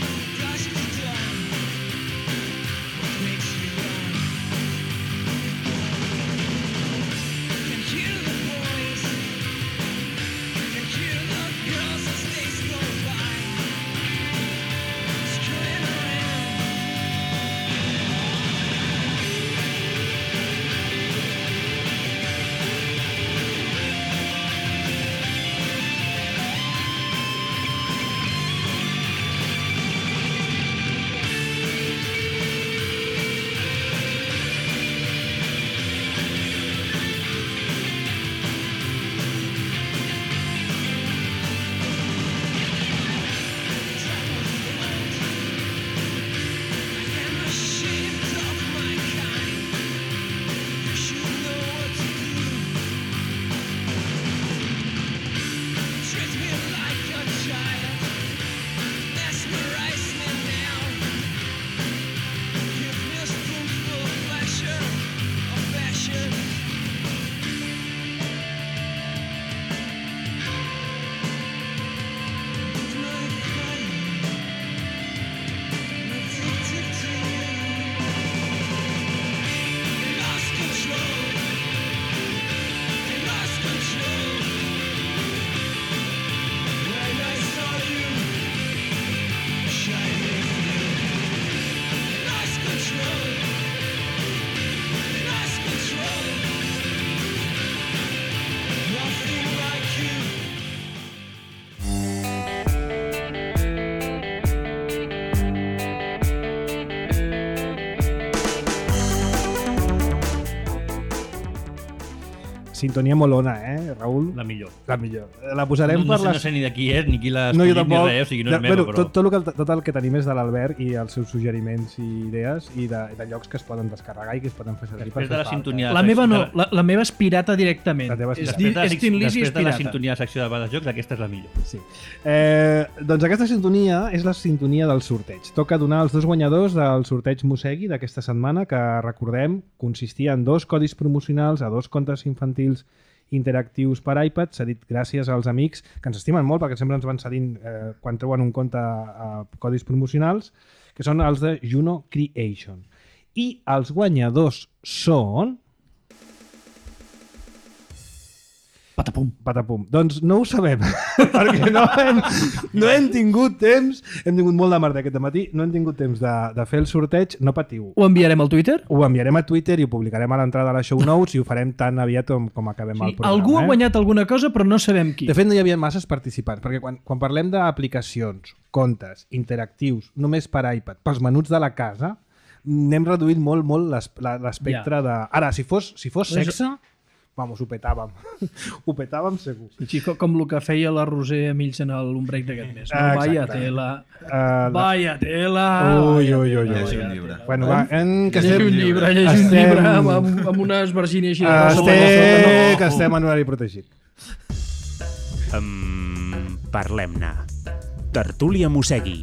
sintonia molona, eh, Raül? La millor. La millor. La posarem No, no, per sé, les... no sé ni de qui és, ni qui l'ha No, jo escollit, ni tampoc. res, o sigui, no és De- meva, bueno, però... tot, tot, el que, tot el que tenim és de l'Albert i els seus suggeriments i idees i de, de llocs que es poden descarregar i que es poden fer servir per Després de fer la falta. sintonia... La meva no, la, la meva és pirata directament. La teva és És, pirata. di, Després de, és Tin Lizzy, és després de la pirata. sintonia de secció de Bades Jocs, aquesta és la millor. Sí. Eh, doncs aquesta sintonia és la sintonia del sorteig. Toca donar els dos guanyadors del sorteig Mosegui d'aquesta setmana, que recordem consistia en dos codis promocionals a dos contes infantils interactius per iPad, cedit gràcies als amics que ens estimen molt perquè sempre ens van cedint eh, quan treuen un compte a codis promocionals, que són els de Juno Creation. I els guanyadors són... Patapum. Patapum. Doncs no ho sabem, perquè no hem, no hem tingut temps, hem tingut molt de merda aquest matí, no hem tingut temps de, de fer el sorteig, no patiu. Ho enviarem al Twitter? Ho enviarem a Twitter i ho publicarem a l'entrada de les show notes i ho farem tan aviat com, com acabem Sí, el programa. algú ha eh? guanyat alguna cosa, però no sabem qui. De fet, no hi havia masses participants, perquè quan, quan parlem d'aplicacions, comptes, interactius, només per iPad, pels menuts de la casa, n'hem reduït molt, molt l'es- la- l'espectre Ja. de... Ara, si fos, si fos Doncs- sexe, vamos, ho petàvem. Ho petàvem segur. Sí, com, com el que feia la Roser Emils en l'ombreig d'aquest mes. No? Ah, Vaya exacte. tela. Uh, la... Vaya tela. Ui, ui, ui, ui. Llegir un llibre. Bueno, va, en que Llegir estem... un llibre, llegir un estem- llibre amb, amb, amb una esvergina així de rosa. Estem... que estem en horari protegit. Um, Parlem-ne. Tertúlia Mosegui.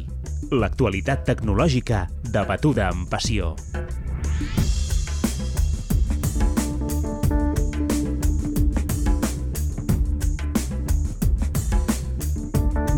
L'actualitat tecnològica debatuda amb passió.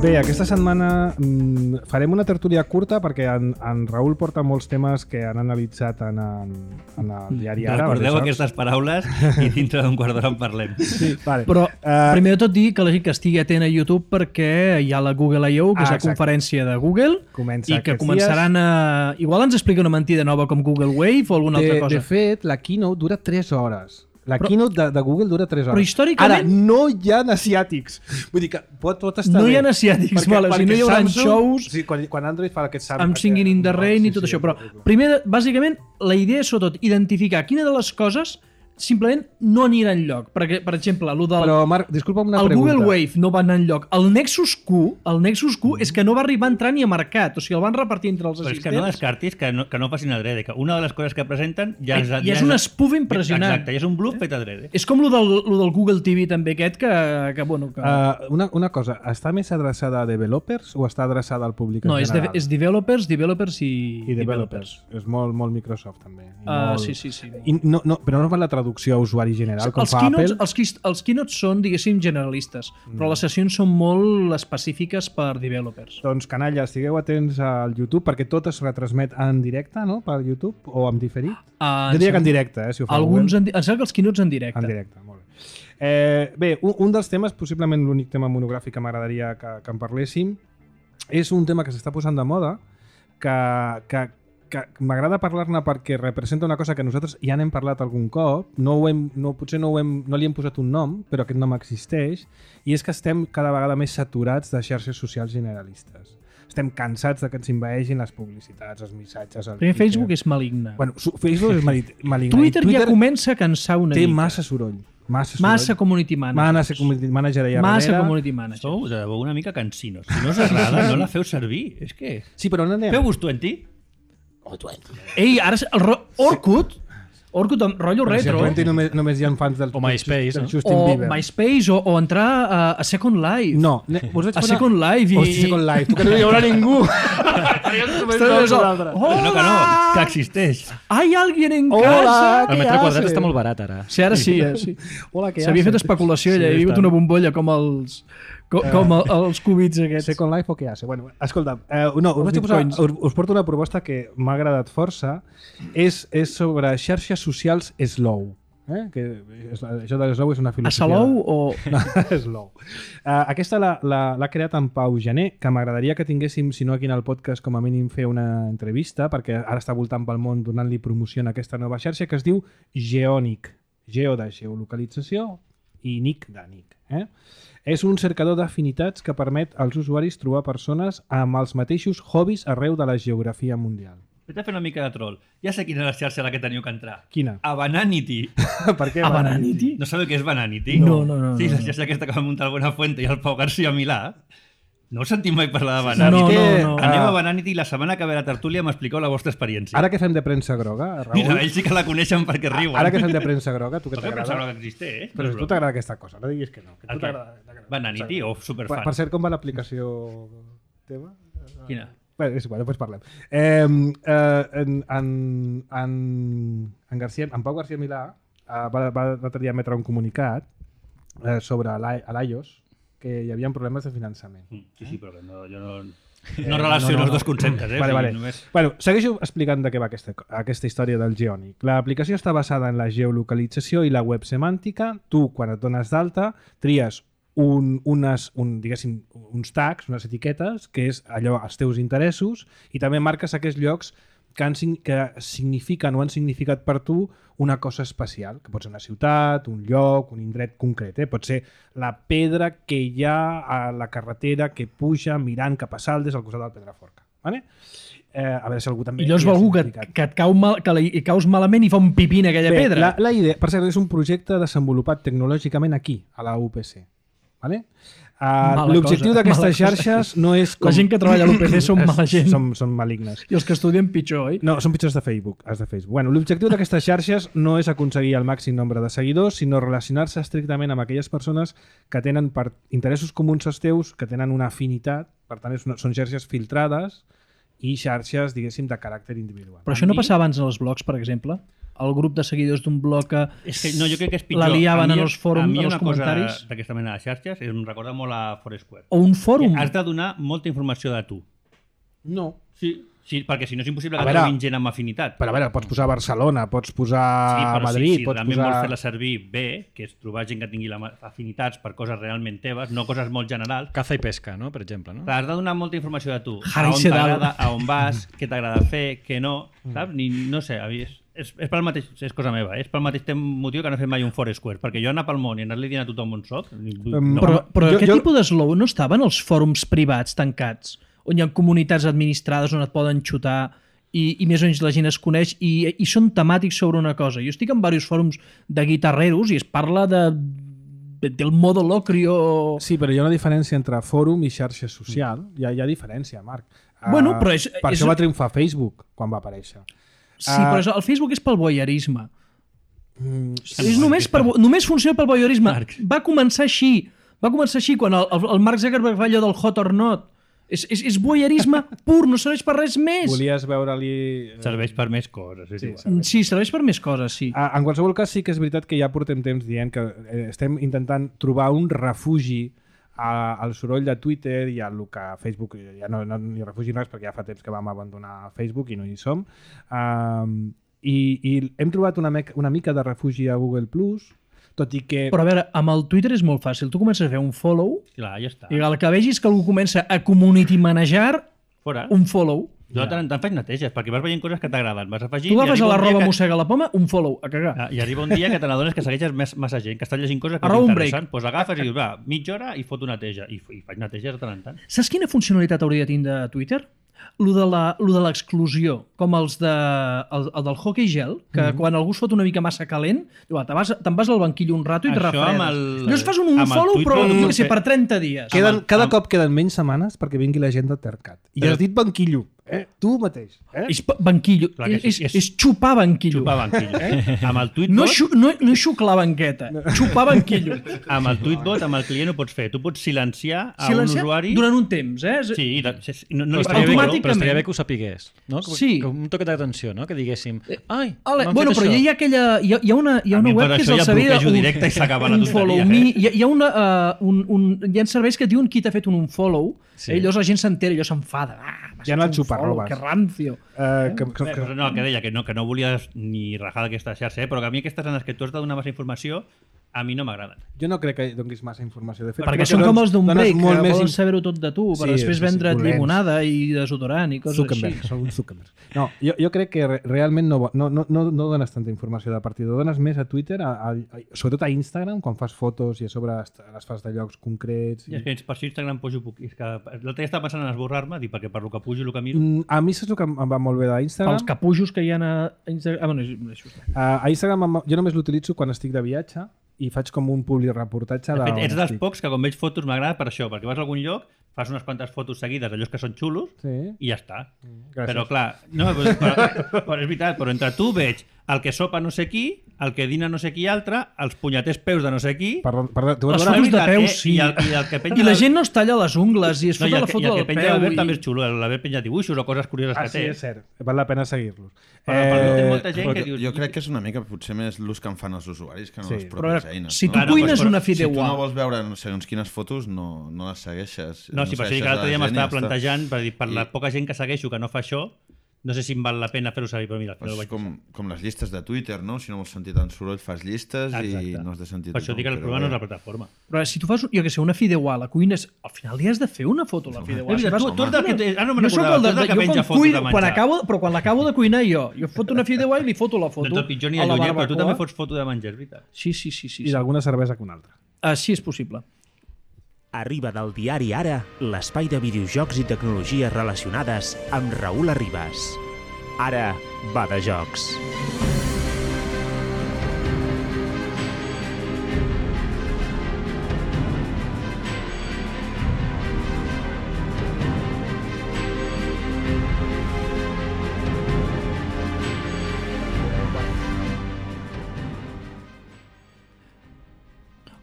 Bé, aquesta setmana mm, farem una tertúlia curta perquè en, en Raül porta molts temes que han analitzat en, en, en el diari Ara. Recordeu aleshores- aquestes paraules i dintre d'un quart d'hora en parlem. Sí, vale. Però, Eh, primer de tot, dir que la gent que estigui atent a YouTube perquè hi ha la Google I O, que Ah, és la exacte. conferència de Google, Comença i que aquests començaran a... Igual ens explica una mentida nova com Google Wave o alguna de, altra cosa. de fet, la keynote dura tres hores. La Però- keynote de, de Google dura tres hores. Però històricament- Ara, no hi ha asiàtics. Vull dir que pot, pot estar No bé. hi ha asiàtics, Perquè- vale, o sigui, no perquè hi haurà Samsung- shows Sí, quan, quan Android fa aquest Samsung... amb Singing in the Rain i tot això. Però primer, bàsicament, la idea és sobretot identificar quina de les coses simplement no anirà enlloc. Perquè, per exemple, el del... Però, Marc, disculpa'm una el pregunta. Google Wave no va anar enlloc. El Nexus Q, el Nexus Q és que no va arribar a entrar ni a mercat. O sigui, el van repartir entre els Però és assistents. que no descartis que no, que no facin adrede, que una de les coses que presenten ja és... I és un espuf impressionant. Exacte, i és un bluff fet adrede. És com lo del, lo del Google T V també aquest, que, que bueno... Que... Uh, una, una cosa, està més adreçada a developers o està adreçada al públic en no, és, de, general? és developers, developers i... I developers. És molt, molt Microsoft, també. I Uh, molt... sí, sí, sí. I no, no, però no fa la traducció a usuari general, com Els fa keynotes, Apple. els, qui- els keynotes són, diguéssim, generalistes, Mm. però les sessions són molt específiques per developers. Doncs, canalla, estigueu atents al YouTube, perquè tot es retransmet en directe, no?, per YouTube, o en diferit. Uh, Jo diria que en directe, eh, si ho fa Alguns, Google. en, di- em sembla que els keynotes en directe. En directe, molt bé. Eh, bé, un, un dels temes, possiblement l'únic tema monogràfic que m'agradaria que, que en parléssim, és un tema que s'està posant de moda, que, que, que m'agrada parlar-ne perquè representa una cosa que nosaltres ja n'hem parlat algun cop, no ho hem, no, potser no, ho hem, no li hem posat un nom, però aquest nom existeix, i és que estem cada vegada més saturats de xarxes socials generalistes. Estem cansats de que ens invaeixin les publicitats, els missatges... El Primer Twitter. Facebook és maligne. Bueno, su- Facebook és mali- maligne. Twitter, I ja comença a cansar una té mica. massa soroll. Massa, soroll. Massa community manager. Massa community manager allà Massa darrere. community manager. Sou de debò una mica cansinos. Si no us agrada, no la feu servir. És que... Sí, però on anem? Feu-vos twenty. Ei, ara... El ro... Orkut? Orkut amb rotllo Però si retro. a Twenty només, només hi ha fans del, O MySpace, del no? Justin O Bieber. MySpace, o, o entrar a, a Second Life. No, ne, us vaig A posar... Second Life i... Hosti, Second Life, tu que no hi haurà ningú. Ostres, Que no, que no, que existeix. Hay alguien en Hola. casa. El metre quadrat està molt barat, ara. Sí, ara sí, eh? sí. Hola, què S'havia fet haces? especulació, allà, Sí, hi havia hagut està. una bombolla com els... Com, com el, els cubits aquests. Second Life o què hace? Bueno, escolta, eh, no, us, Els vaig posar, bitcoins. us, us porto una proposta que m'ha agradat força. És, és sobre xarxes socials slow. Eh? Que és, això de slow és una A filosofia. Salou o... No, slow. Uh, aquesta l'ha la- l'ha creat en Pau Gené, que m'agradaria que tinguéssim, si no aquí en el podcast, com a mínim fer una entrevista, perquè ara està voltant pel món donant-li promoció a aquesta nova xarxa, que es diu Geonic. Geo de geolocalització i Nick de Nick. Eh? És un cercador d'afinitats que permet als usuaris trobar persones amb els mateixos hobbies arreu de la geografia mundial. Vaig a fer una mica de troll. Ja sé quina és la xarxa a la que teniu que entrar. Quina? A Bananity. Per què A Bananity? No sabeu què és Bananity? No, no, no. Sí, no, la no. xarxa aquesta que va muntar el Buenafuente i el Pau García Milà. No us sentim mai parlar de Saps Bananity? No, què? no, no. Anem Ah, a Bananity i la setmana que ve la tertúlia m'expliqueu la vostra experiència. Ara que fem de premsa groga, Raül... Mira, ells sí que la coneixen perquè riuen. Ara que fem de premsa groga, tu que No que t'agrada... pensava que existeix, eh? Però a tu t'agrada aquesta cosa, no diguis que no. Que a tu El què? t'agrada- t'agrada. Bananity o Per, superfan? per cert, com va l'aplicació teva? Quina? Bé, és igual, després parlem. Eh, eh, en, en, en, en, García, en Pau García Milà eh, va, va l'altre dia emetre un comunicat eh, sobre l'I- a l'I O S que hi havia problemes de finançament. Sí, sí, però que no, jo no, Eh, no relaciono no, no, els dos no. conceptes. Eh? Vale, O sigui, vale. Només... Bueno, segueixo explicant de què va aquesta, aquesta història del Geonic. L'aplicació està basada en la geolocalització i la web semàntica. Tu, quan et dones d'alta, tries un, unes, un, diguéssim, uns tags, unes etiquetes, que és allò, els teus interessos, i també marques aquests llocs que, han, sign- que signifiquen o han significat per tu una cosa especial, que pot ser una ciutat, un lloc, un indret concret. Eh? Pot ser la pedra que hi ha a la carretera que puja mirant cap a Saldes al costat del Pedraforca. Vale? Eh, a veure si algú també... I llavors hi ha va algú que, significat. que et cau mal, que li hi caus malament i fa un pipí en aquella Bé, pedra. La, la idea, per cert, és un projecte desenvolupat tecnològicament aquí, a la U P C. Vale? Uh, Mala L'objectiu cosa, d'aquestes mala cosa. xarxes no és com... La gent que treballa a l'U P C són mala gent. Som, són malignes. I els que estudien pitjor, oi? No, són pitjors de Facebook. Els de Facebook. Bueno, l'objectiu d'aquestes xarxes no és aconseguir el màxim nombre de seguidors, sinó relacionar-se estrictament amb aquelles persones que tenen per interessos comuns als teus, que tenen una afinitat, per tant és una, són xarxes filtrades i xarxes, diguéssim, de caràcter individual. Però això no passava abans en els blogs, per exemple? El grup de seguidors d'un blog que És que no, jo crec que és pitjor. la liaven A mi- en els fòrums, a mi en els una cosa comentaris? d'aquesta mena de xarxes em recorda molt a Foursquare. O un fòrum. Que has de donar molta informació de tu. No. Sí, sí, perquè si no és impossible A que veure, trobin gent amb afinitat. Però a veure, pots posar Barcelona, pots posar Sí, però Madrid, si, si pots realment posar... vols fer-la servir bé, que és trobar gent que tingui la ma- afinitats per coses realment teves, no coses molt generals, Caza i pesca, no? Per exemple, no? has de donar molta informació de tu. Harry a on Sedal. t'agrada, a on vas, què t'agrada fer, què no, saps? Ni, no sé, a mi és, és, és pel mateix, és cosa meva, eh? és pel mateix tem- motiu que no he fet mai un Foursquare, perquè jo anar pel món i anar-li dient a tothom on soc... Em, No, Però, però Jo- aquest jo- tipus d'eslow no estava en els fòrums privats tancats, on hi ha comunitats administrades on et poden xutar i, i més o menys la gent es coneix i, i són temàtics sobre una cosa. Jo estic en diversos fòrums de guitarreros i es parla de, de del modo locrio... Sí, però hi ha una diferència entre fòrum i xarxa social. Hi ha, hi ha diferència, Marc. Bueno, Ah, però és- Per és- això va triomfar Facebook quan va aparèixer. Sí, Ah. però és- el Facebook és pel voyeurisme. Mm, És només, per, només funciona pel voyeurisme. Marc. Va començar així. Va començar així quan el, el, el Mark Zuckerberg fa allò del hot or not. És, és, és voyeurisme pur, no serveix per res més. Volies veure-li... eh, serveix per més coses. És Sí, igual. serveix. Sí, serveix per més coses, sí. Ah, en qualsevol cas, sí que és veritat que ja portem temps dient que eh, estem intentant trobar un refugi a, al soroll de Twitter i al que Facebook ja no, no ni refugi res perquè ja fa temps que vam abandonar Facebook i no hi som. Um, i, I hem trobat una, meca, una mica de refugi a Google Plus, tot i que... Però a veure, amb el Twitter és molt fàcil. Tu comences a fer un follow Clar, ja està. i el que vegis que algú comença a community manejar, Fora. un follow. Jo de tant en tant faig neteges, perquè vas veient coses que t'agraden. Vas afegint... Tu i agafes arriba a la un dia roba que- mossega la poma, un follow, a cagar. Ah, I arriba un dia que te n'adones que segueixes més, massa gent, que estàs llegint coses que Arroba un t'interessen. Doncs pues agafes i dius, va, mitja hora i foto neteja. I, i faig neteges de tant en tant. Saps quina funcionalitat hauria de tindre Twitter? Lo de la- lo de l'exclusió, com els de, el, el del hockey gel, que mm -hmm. quan algú es fot una mica massa calent, diu, va, te'n vas, te'n vas al banquillo un rato i te Això refredes. amb el- Llavors fas un, un amb el follow, Twitter però no jo pot què sé, fer. per trenta dies. Queden, amb el- cada amb- cop queden menys setmanes perquè vingui la gent de Tercat. I Però- has dit banquillo, eh? Tu mateix. Eh? És pa- banquillo, Clar que sí, és, és- és xupar banquillo. Xupar banquillo. Eh? Amb el tweetbot, No, xu, no, no xuclar banqueta, xupar banquillo. amb el tweetbot, amb el client ho pots fer. Tu pots silenciar a Silenciar un usuari... durant un temps, eh? És- Sí, de, sí, sí, no, no Però li estaria, bé, automàticament. però estaria bé que ho sapigués, no? Com, Sí. com un toque d'atenció, no? Que diguéssim, ai, Ale, m'han bueno, fet però això. hi ha aquella... Hi ha, hi ha una, hi ha A una mi web per que és això el ja servei... bloquejo un- directe i s'acaba la un tonteria, follow eh? me. Hi ha, hi ha, una, uh, un, un, hi ha serveis que et diuen qui t'ha fet un unfollow, Sí. sí. i llavors la gent s'entera i allò s'enfada. Ah, m'has Ja no fet et un xuparrobes. follow, Que rancio. Eh, que, que, Bé, però no, que deia que no, que no volies ni rajar d'aquesta xarxa, eh? Però que a mi aquestes en les que tu has de donar massa informació a mi no m'agraden. Jo no crec que donguis massa informació. De fet, Perquè crec són que com dones- els d'un dones break, molt que més volen in- saber-ho tot de tu, per Sí, després sí, sí, vendre't dolents. llimonada i desodorant i coses Zuckerberg, així. són uns Zuckerberg. No, jo, jo crec que re realment no, no, no, no, no dones tanta informació de partida, dones més a Twitter, a, a, a, sobretot a Instagram, quan fas fotos i a sobre est- les fas de llocs concrets. I I... és que per això Instagram pujo poc. És que l'altre dia estava pensant en esborrar-me, dic, perquè per lo que pujo i el que miro... Mm, A mi saps el que em va molt bé d'Instagram? Els capujos que hi ha a Instagram... Ah, bueno, és això. Uh, a Instagram em- jo només l'utilitzo quan estic de viatge i faig com un publireportatge De de fet, on ets dels estic. pocs que quan veig fotos m'agrada per això, perquè vas a algun lloc, fas unes quantes fotos seguides d'allòs que són xulos Sí. i ja està. Gràcies. Però clar, no, però, però, però és veritat, però entre tu veig el que sopa no sé qui, el que dina no sé qui altre, els punyeters peus de no sé qui... Perdó, perdó, tu vas Les veure... fotos de veritat, peus, eh? sí. I el, i el que penja I la del- gent no es talla les ungles i es No, i fot el, la que- foto i el del que penja peu. l'Albert I... també és xulo, l'Albert penja dibuixos o coses curioses Ah, que sí, té. és cert. Val la pena seguir-los. Però, però té Eh, molta gent Però que jo, dius... jo crec que és una mica potser més l'ús que en fan els usuaris que no Sí. les Però, a pròpies veure, eines. si tu no? Clar, no, cuines però una Si tu fideuà... no vols veure no sé, segons quines fotos, no, no les segueixes. No, sí, per això dic segueixes que l'altre a dia la gent i m'estava ja està. plantejant, per, dir, per la I- poca gent que segueixo que no fa això, no sé si em val la pena fer-ho servir, però mira, al final Pues ho vaig com, com les llistes de Twitter, no? Si no vols sentir tant soroll, fas llistes i Exacte. no has de sentir Per això tothom, dic que el però problema no és bé. la plataforma. Però si tu fas, jo que sé, una fideuà, la cuines, al final li has de fer una foto a la fideuà. És Si veritat, fas- tu, tu ets del que... te- Ah, no me'n Jo sóc recordava, el tu de, ets del que jo penja quan, fotos cuino, de quan, menjar. acabo, però quan l'acabo de cuinar jo, jo foto una fideuà i li foto la No foto ets el pitjor ni a el la llunyer, però tu també barbacoa. fots foto de menjar, és veritat. Sí, sí, sí. sí, I sí. d'alguna cervesa que una altra. Així és possible. Arriba del diari Ara, l'espai de videojocs i tecnologies relacionades amb Raül Arribas. Ara va de jocs.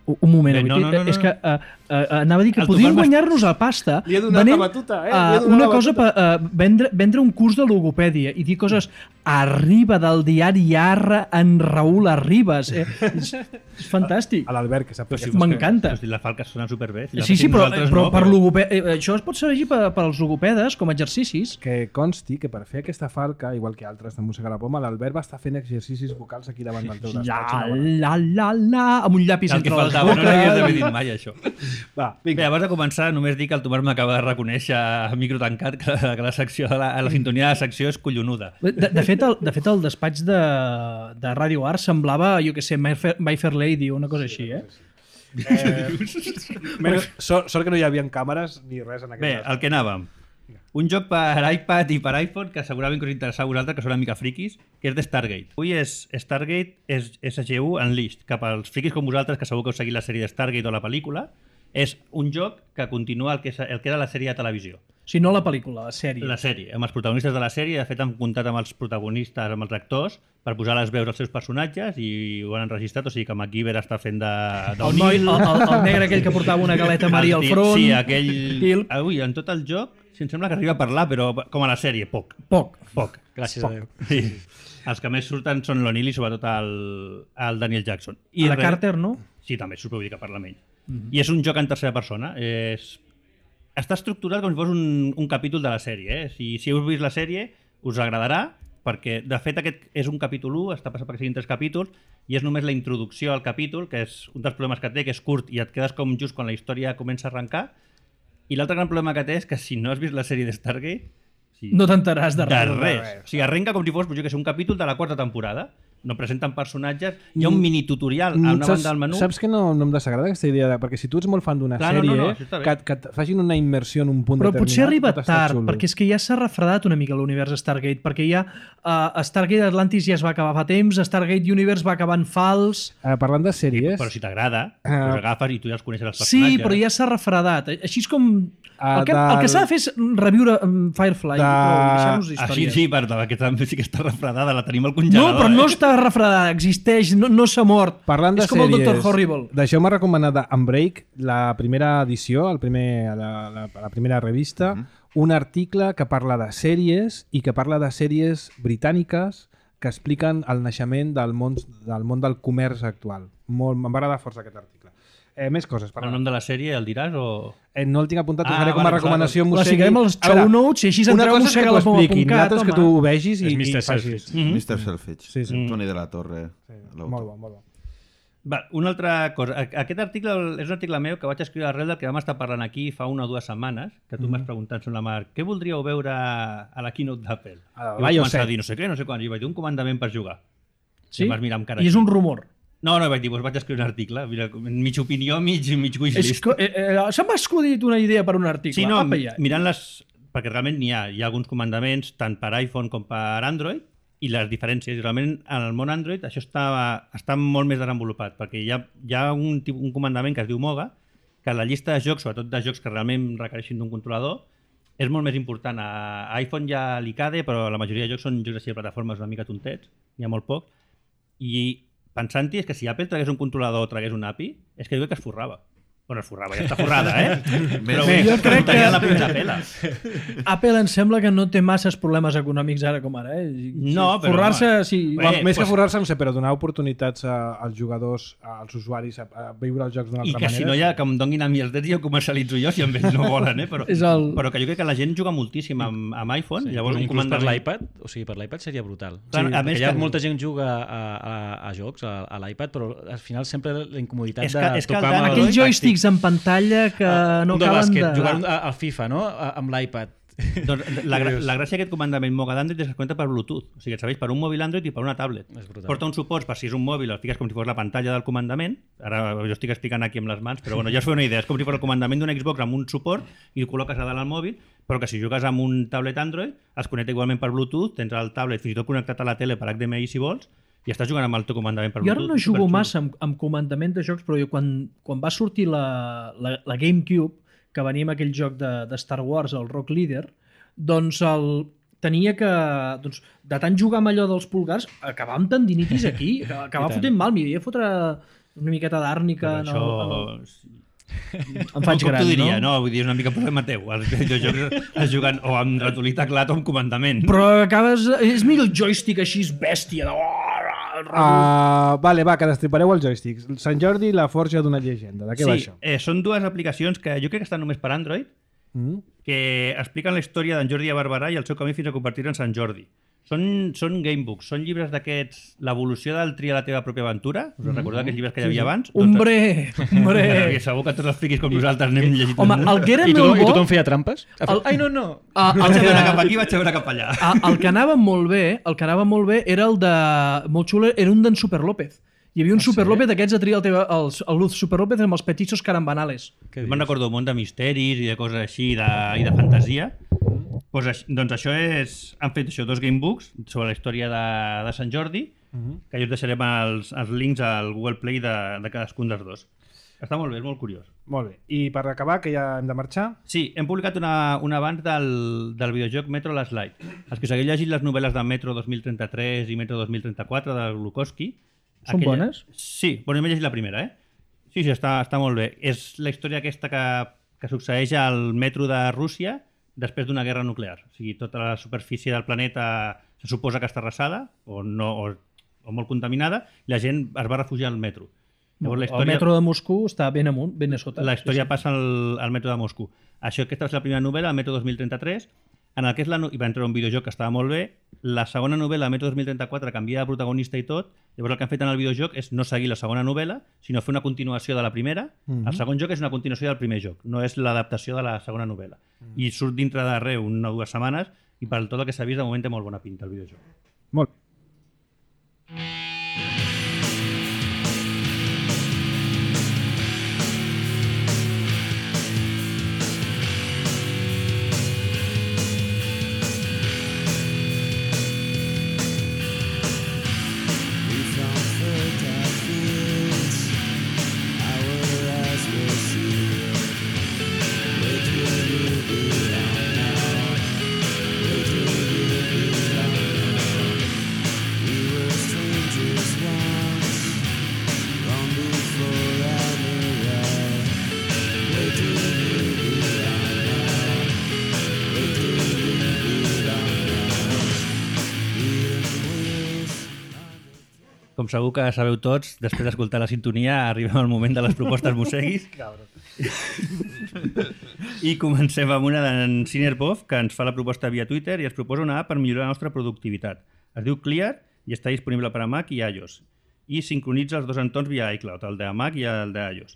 Un un moment, Bé, no, avui, no, no, no. és que uh, uh, anava a dir que El podríem Tomàs m'ha- guanyar-nos la pasta Li he donat venent, la batuta, eh? Li he uh, donat una la cosa, batuta. pa, uh, vendre, vendre un curs de logopèdia i dir coses arriba del diari Arra en Raül Arribas. Eh? és, és fantàstic. A l'Albert, que sap que... M'encanta. Hosti, la Falca sona superbé. Si la Sí, sí, féssim però, nosaltres però no, per logopè... eh, això es pot servir per, per als logopedes com a exercicis. Que consti que per fer aquesta falca, igual que altres de Mossega la Poma, l'Albert va estar fent exercicis vocals aquí davant del teu La, despatx. la, la, la, amb un llapis El que entre les faltava, no l'havies d'haver boques. dit mai, això. Va, Bé, vinga. abans de començar, només dic que el Tomàs m'acaba de reconèixer a micro tancat que, que la, secció de la, la sintonia de la secció és collonuda. De, de, fet, el, de fet, el despatx de, de Radio Art semblava, jo que sé, My Fair, My Fair Lady o una cosa així, eh? Menys, sort, sort que no hi havia càmeres ni res en aquest Bé, cas. el que anàvem. Un joc per iPad i per iPhone que segurament que us interessarà a vosaltres, que són una mica friquis, que és de Stargate. Avui és Stargate és S G U Unleashed, cap als friquis com vosaltres, que segur que heu seguit la sèrie de Stargate o la pel·lícula. És un joc que continua el que, és, el que era la sèrie de televisió. O sigui, no la pel·lícula, la sèrie. La sèrie, amb els protagonistes de la sèrie. De fet, han comptat amb els protagonistes, amb els actors, per posar les veus als seus personatges i ho han enregistrat. O sigui que MacGyver està fent de... El, noi, el, el, el negre aquell que portava una galeta Maria al El tio- front. Sí, aquell... I el- Avui, en tot el joc, si em sembla que arriba a parlar, però com a la sèrie, poc. Poc. Poc. Gràcies a Déu. Sí. Els que més surten són l'O'Neill i sobretot el, el Daniel Jackson. I I la res- Carter, no? Sí, també surt, vull dir que parla amb ell. I és un joc en tercera persona. És... Està estructurat com si fos un, un capítol de la sèrie. Eh? Si, si heu vist la sèrie, us agradarà, perquè de fet aquest és un capítol u, està passat perquè siguin tres capítols, i és només la introducció al capítol, que és un dels problemes que té, que és curt i et quedes com just quan la història comença a arrencar. I l'altre gran problema que té és que si no has vist la sèrie de Stargate, sí, No t'enteràs de de res. res. O sigui, arrenca com si fos, jo que sé, un capítol de la quarta temporada. No presenten personatges. Hi ha un mini tutorial a una Mm, saps, banda del menú. Saps que no, no em desagrada aquesta idea? De, perquè si tu ets molt fan d'una Clar, no, sèrie, no, no, això està bé. que, et- que et facin una immersió en un punt Però determinat... potser arriba pot estar tard, xulo. perquè és que ja s'ha refredat una mica l'univers Stargate, perquè ja uh, Stargate Atlantis ja es va acabar fa temps, Stargate Universe va acabar en fals... Eh, parlant de sèries... Però si t'agrada, Ah. els agafes i tu ja els coneixes els Sí, personatges. però ja s'ha refredat. Així és com... Ah, El que, el que del- s'ha de fer és reviure um, Firefly De- i prou, deixar-nos Així històries. sí, per que també sí que està refredada, la tenim al No, congelador. però no eh? està refredada, existeix, no, no s'ha mort. Parlant de és com sèries, el Doctor Horrible. deixeu-me recomanar d'Unbreak, la primera edició, el primer, la, la, la primera revista, Mhm. un article que parla de sèries i que parla de sèries britàniques que expliquen el naixement del món del, món del comerç actual. Molt, em va agradar força aquest article. Eh, més coses. El Parla. nom de la sèrie el diràs o...? Eh, no el tinc apuntat, us Ah, faré com a vale, recomanació. clar. m'ho La segui. ficarem als A veure, show notes i així una entreu cosa a és que mossega t'ho la poma expliquin, punt cat, l'altra és que home. tu ho vegis i, És i mister facis. Selfridge. Mhm. mister Selfridge. Sí, sí. Toni de la Torre. l'autor. Molt bo, molt bo. Va, una altra cosa. Aquest article és un article meu que vaig escriure arrel del que vam estar parlant aquí fa una o dues setmanes, que tu mm. m'has preguntat sobre la Marc, què voldríeu veure a la keynote d'Apple? Ah, I vaig començar a dir no sé què, no sé quan, i vaig dir un comandament per jugar. Sí? I, mirar amb cara I és un rumor. No, no, vaig dir, doncs vaig escriure un article, mira, mig opinió, mig, mig wishlist. Que, eh, eh, se m'ha escudit una idea per un article. Sí, no, Apa, ja. mirant les... Perquè realment n'hi ha, hi ha alguns comandaments tant per iPhone com per Android, i les diferències, i realment en el món Android això està, està molt més desenvolupat, perquè hi ha, hi ha un, un comandament que es diu Moga, que la llista de jocs, sobretot de jocs que realment requereixin d'un controlador, és molt més important. A iPhone hi ha l'I C A D E, però la majoria de jocs són jocs així de plataformes una mica tontets, n'hi ha molt poc, i pensant-hi és que si Apple tragués un controlador o tragués un A P I, és que diu que es forrava. Bueno, es forrava, ja està forrada, eh? Però Bé, jo crec que la primera pela. Apple em sembla que no té masses problemes econòmics ara com ara, eh? No, però... Forrar-se, sí. Bé, Eh, més pues... que forrar-se, no sé, però donar oportunitats a, als jugadors, als usuaris, a, a viure els jocs d'una I altra que manera. si no hi ha, que em donin a mi els drets i ho comercialitzo jo, si amb ells no volen, eh? Però, És el... però que jo crec que la gent juga moltíssim amb, amb iPhone, Sí, llavors un inclús per comandament... l'iPad, o sigui, per l'iPad seria brutal. Clar, Sí, a més hi ha que- molta gent que juga a, a, a jocs, a, a l'iPad, però al final sempre la incomoditat És que- de és que el tocar Dan- amb el Aquells tàctil. joysticks en pantalla que no un de acaben bàsquet, de... jugar un- a- al FIFA, no? A- amb l'iPad. Doncs la, gra la gràcia d'aquest comandament Moga d'Android és que es connecta per Bluetooth. O sigui, et serveix per un mòbil Android i per una tablet. És brutal. Porta un suport per si és un mòbil, el fiques com si fos la pantalla del comandament. Ara jo estic explicant aquí amb les mans, però bueno, ja us feu una idea. És com si fos el comandament d'un Xbox amb un suport i ho col·loques a dalt al mòbil, però que si jugues amb un tablet Android es connecta igualment per Bluetooth, tens el tablet fins i tot connectat a la tele per H D M I si vols, i estàs jugant amb el teu comandament per Jo Bluetooth. ara no jugo Superxulo. massa amb, amb comandament de jocs, però jo quan, quan va sortir la, la, la GameCube, que venia amb aquell joc de, de Star Wars, el Rock Leader, doncs el, tenia que, doncs, de tant jugar amb allò dels pulgars, acabar amb tendinitis aquí, acabar fotent mal, m'hi havia fotre una miqueta d'àrnica. Però això... No, no. Em faig com gran, t'ho diria, no? no? Vull dir, és una mica problema teu. Els videojocs es juguen o amb ratolí teclat o amb comandament. Però acabes... És millor el joystick així, és bèstia. De... Uh, vale, va, que destripareu els joysticks. Sant Jordi, la forja d'una llegenda. De què sí, va això? Eh, són dues aplicacions que jo crec que estan només per Android, Mm? que expliquen la història d'en Jordi de Barberà i el seu camí fins a convertir-se en Sant Jordi. Són, són gamebooks, són llibres d'aquests, l'evolució del tria la teva pròpia aventura. Us mm-hmm. recordeu aquells llibres que hi havia abans? Hombre, hombre. Doncs, segur que tots els friquis com nosaltres n'hem llegit. Home, el que era I, molt tothom, I bo... tothom feia trampes? El- Ai, no, no. Ah, el, Vaig a veure que, cap aquí, vaig a veure cap allà. ah, el que anava molt bé, el que anava molt bé era el de... Molt xulo, era un d'en Super López. Hi havia un Super López d'aquests a triar el, teva, el, el Luz Super López amb els petitxos carambanales. Què Me'n dius? recordo un munt de misteris i de coses així de, i de fantasia. Pues, aix- doncs això és... Han fet això, dos gamebooks sobre la història de, de Sant Jordi, que jo us deixarem els, els links al Google Play de, de cadascun dels dos. Està molt bé, és molt curiós. Molt bé. I per acabar, que ja hem de marxar... Sí, hem publicat una, un avanç del, del videojoc Metro Last Light. Els que us hagueu llegit les novel·les de Metro dos mil trenta-tres i Metro dos mil trenta-quatre de Glukowski... Són bones? Sí, bueno, jo m'he llegit la primera, eh? Sí, sí, està, està molt bé. És la història aquesta que, que succeeix al metro de Rússia després d'una guerra nuclear. O sigui, tota la superfície del planeta se suposa que està arrasada o, no, o, o molt contaminada i la gent es va refugiar al metro. Llavors, la El metro de Moscou està ben amunt, ben a sota. la història Sí, sí. passa al, al metro de Moscou. Això, aquesta va ser la primera novel·la, el metro dos mil trenta-tres, en el que és la, no- i va entrar un videojoc que estava molt bé. La segona novel·la, metro dos mil trenta-quatre, canvia de protagonista i tot. Llavors el que han fet en el videojoc és no seguir la segona novel·la, sinó fer una continuació de la primera. Mhm. El segon joc és una continuació del primer joc, no és l'adaptació de la segona novel·la. I surt dintre d'arreu una o dues setmanes i per tot el que s'ha vist de moment té molt bona pinta el videojoc. Molt bé. Com segur que sabeu tots, després d'escoltar la sintonia arribem al moment de les propostes Museguis. I comencem amb una d'en Sinerbov, que ens fa la proposta via Twitter i ens proposa una app per millorar la nostra productivitat. Es diu Clear i està disponible per a Mac i iOS. i sincronitza els dos entorns via iCloud, el de Mac i el d'iOS.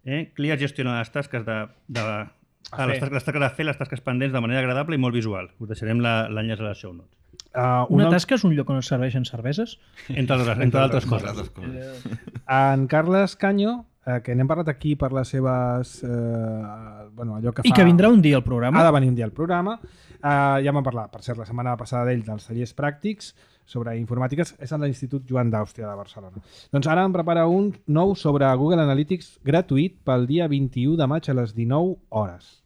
Eh? Clear gestiona les tasques de, de, ah, les, tasques, les tasques de fer, les tasques pendents de manera agradable i molt visual. Us deixarem l'enllaç a les show notes. Uh, Una una tasca és un lloc on es serveixen cerveses? Entre altres, entre altres coses. Altres coses. En Carles Canyo, eh, que n'hem parlat aquí per les seves... Eh, bueno, allò que fa... I que vindrà un dia al programa. Ha de venir un dia al programa. Uh, ja vam parlar, per cert, la setmana passada d'ell, dels tallers pràctics sobre informàtiques. És a l'Institut Joan d'Àustria de Barcelona. Doncs ara em prepara un nou sobre Google Analytics gratuït pel dia vint-i-u de maig a les dinou hores.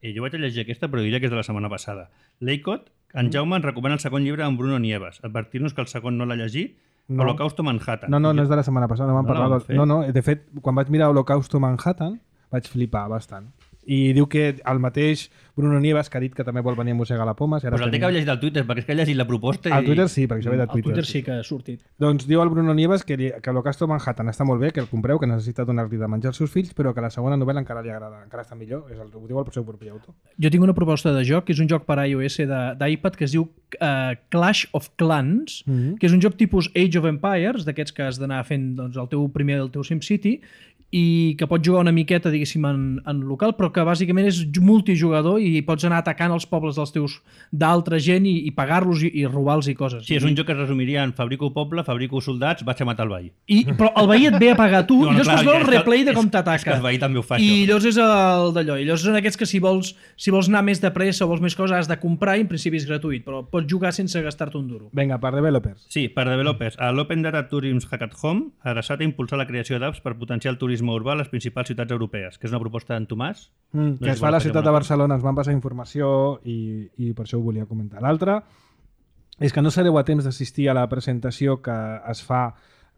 Eh, jo vaig a llegir aquesta, però diria que és de la setmana passada. L'Eicot, en Jaume ens recomana el segon llibre amb Bruno Nieves, advertir-nos que el segon no l'ha llegit, No. Holocausto Manhattan. No, no, no és de la setmana passada, no vam No parlar. l'han del- fet? No, no, de fet, quan vaig mirar Holocausto Manhattan, vaig flipar bastant. I diu que el mateix Bruno Nieves, que ha dit que també vol venir a mossegar la poma... Si ara Pues el té que haver llegit al Twitter, perquè és que ha llegit la proposta i... Al Twitter sí, perquè això ve de Al Twitter. Twitter sí que ha sortit. Doncs diu el Bruno Nieves que, li, que Holocausto Manhattan està molt bé, que el compreu, que necessita donar-li de menjar als seus fills, però que la segona novel·la encara li agrada, encara està millor, és el, ho diu el seu propi autor. Jo tinc una proposta de joc, que és un joc per iOS de- d'iPad que es diu uh, Clash of Clans, Mhm. que és un joc tipus Age of Empires, d'aquests que has d'anar fent doncs, el teu primer el teu SimCity, i que pots jugar una miqueta, diguéssim, en, en local, però que bàsicament és multijugador i pots anar atacant els pobles dels teus d'altra gent i, i pagar-los i, i robar-los i coses. Sí, és un joc que es resumiria en fabrico poble, fabrico soldats, vaig a matar el veí. I, però el veí et ve a pagar tu No, no, i després clar, veu el és que- replay de com és- és t'ataca. que el veí també ho fa, I això. llavors és el d'allò. I llavors són aquests que si vols, si vols anar més de pressa o vols més coses has de comprar i en principi és gratuït, però pots jugar sense gastar-te un duro. Vinga, per developers. Sí, per developers. A l'Open Data Tourism Hackathon, adreçat a impulsar la creació d'apps per potenciar el turisme urbà a les principals ciutats europees, que és una proposta d'en Tomàs. Mm, No que sé es si fa a la vols ciutat fer de alguna Barcelona, ens van passar informació i, i per això ho volia comentar. L'altre és que no sereu a temps d'assistir a la presentació que es fa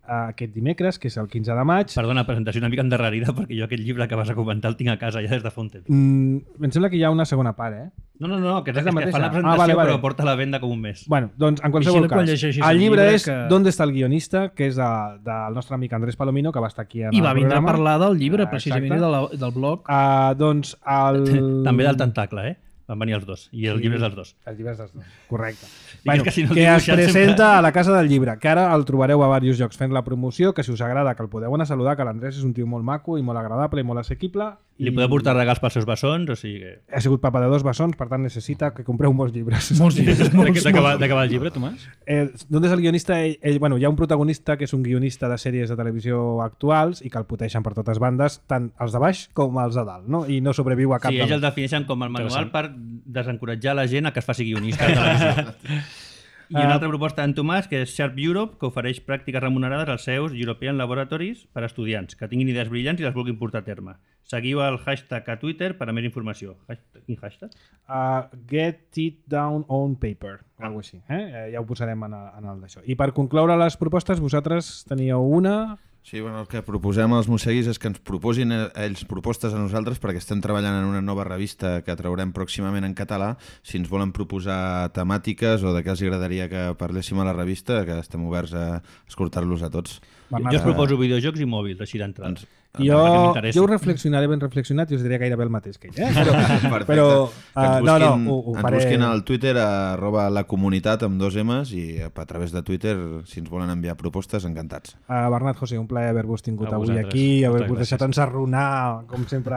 eh, aquest dimecres, que és el quinze de maig. Perdona, presentació una mica endarrerida, perquè jo aquest llibre que vas a comentar el tinc a casa ja des de fa un temps. Mm, em sembla que hi ha una segona part, eh? No, no, no, que és, És la és que mateixa? fa la Ah, presentació, vale, vale. però porta a la venda com un mes. Bueno, doncs en qualsevol Vigila quan cas, llegeixis el el llibre llibre és que- ¿Dónde está el guionista?, que és de, del nostre amic Andrés Palomino, que va estar aquí en I el va vindre a programa. parlar del llibre, Ah, precisament, exacte. de la, del blog. Uh, doncs el... També del tentacle, eh? Van venir els dos, i el llibre és dels dos. El llibre és dels dos, correcte. és que si no el que es dibuixen presenta sempre- a la Casa del Llibre, que ara el trobareu a diversos llocs fent la promoció, que si us agrada que el podeu anar a saludar, que l'Andrés és un tio molt maco i molt agradable i molt assequible. Li i podeu portar regals pels seus bessons, o sigui que... Ha sigut papa de dos bessons, per tant necessita que compreu molts llibres. Molts llibres, De molts, què- D'acabar d'acabar el llibre, Tomàs? Eh, d'on és el guionista? Ell, ell, bueno, hi ha un protagonista que és un guionista de sèries de televisió actuals i que el poteixen per totes bandes, tant els de baix com els de dalt, no? I no sobreviu a cap Sí, de ells el dos. defineixen com el manual Interessant. per desencoratjar la gent a que es faci guionista de televisió. I una altra proposta d'en Tomàs, que és Sharp Europe, que ofereix pràctiques remunerades als seus European Laboratories per a estudiants que tinguin idees brillants i les vulguin portar a terme. Seguiu el hashtag a Twitter per a més informació. Hashtag, quin hashtag? Uh, get it down on paper, alguna així. Eh? Eh, ja ho posarem en el, en el d'això. I per concloure les propostes, vosaltres teníeu una... Sí, bueno, el que proposem als mosseguis és que ens proposin a- ells propostes a nosaltres, perquè estem treballant en una nova revista que traurem pròximament en català. Si ens volen proposar temàtiques o de què els agradaria que parléssim a la revista, que estem oberts a escoltar-los a tots. Bernat, Jo us proposo videojocs i mòbils, així d'entrada. Doncs, Jo, perquè m'interessi. jo ho reflexionaré ben reflexionat i us diré gairebé el mateix que ell. Eh? Però, Perfecte. però Que ens uh, no, no, busquin- ho, ho ens faré... busquin al Twitter a arroba la comunitat amb dos M's i a través de Twitter, si ens volen enviar propostes, encantats. Uh, Bernat, José, un plaer haver-vos tingut A avui vosaltres. aquí, haver-vos Moltes deixat gràcies. ensarronar, com sempre,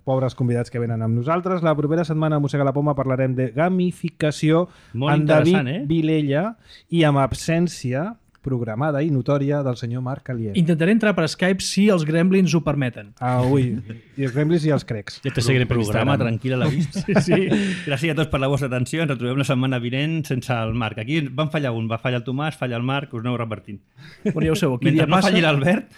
pobres convidats que venen amb nosaltres. La propera setmana a Mossega la Poma parlarem de gamificació Molt amb David interessant, eh? Vilella i amb absència programada i notòria del senyor Marc Alier. Intentaré entrar per Skype si els gremlins ho permeten. Ah, ui, i els Gremlins i els crecs. Ja te seguiré per Programa Instagram. tranquil a la vista. Sí, sí. Gràcies a tots per la vostra atenció. Ens retrobem la setmana vinent sense el Marc. Aquí van fallar un, va fallar el Tomàs, falla el Marc, us aneu repartint. Però ja ho sabeu, qui Mentre dia no passa, falli l'Albert,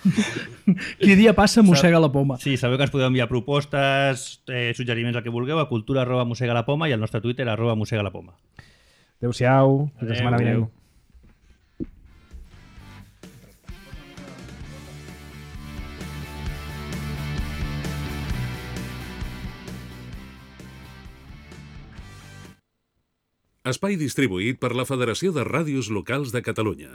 qui dia passa mossega la poma. sí, sabeu que ens podeu enviar propostes, eh, suggeriments, el que vulgueu, a cultura arroba mossega la poma i al nostre Twitter arroba mossega la poma. Adéu-siau, fins la setmana Adéu. vinent. Espai distribuït per la Federació de Ràdios Locals de Catalunya.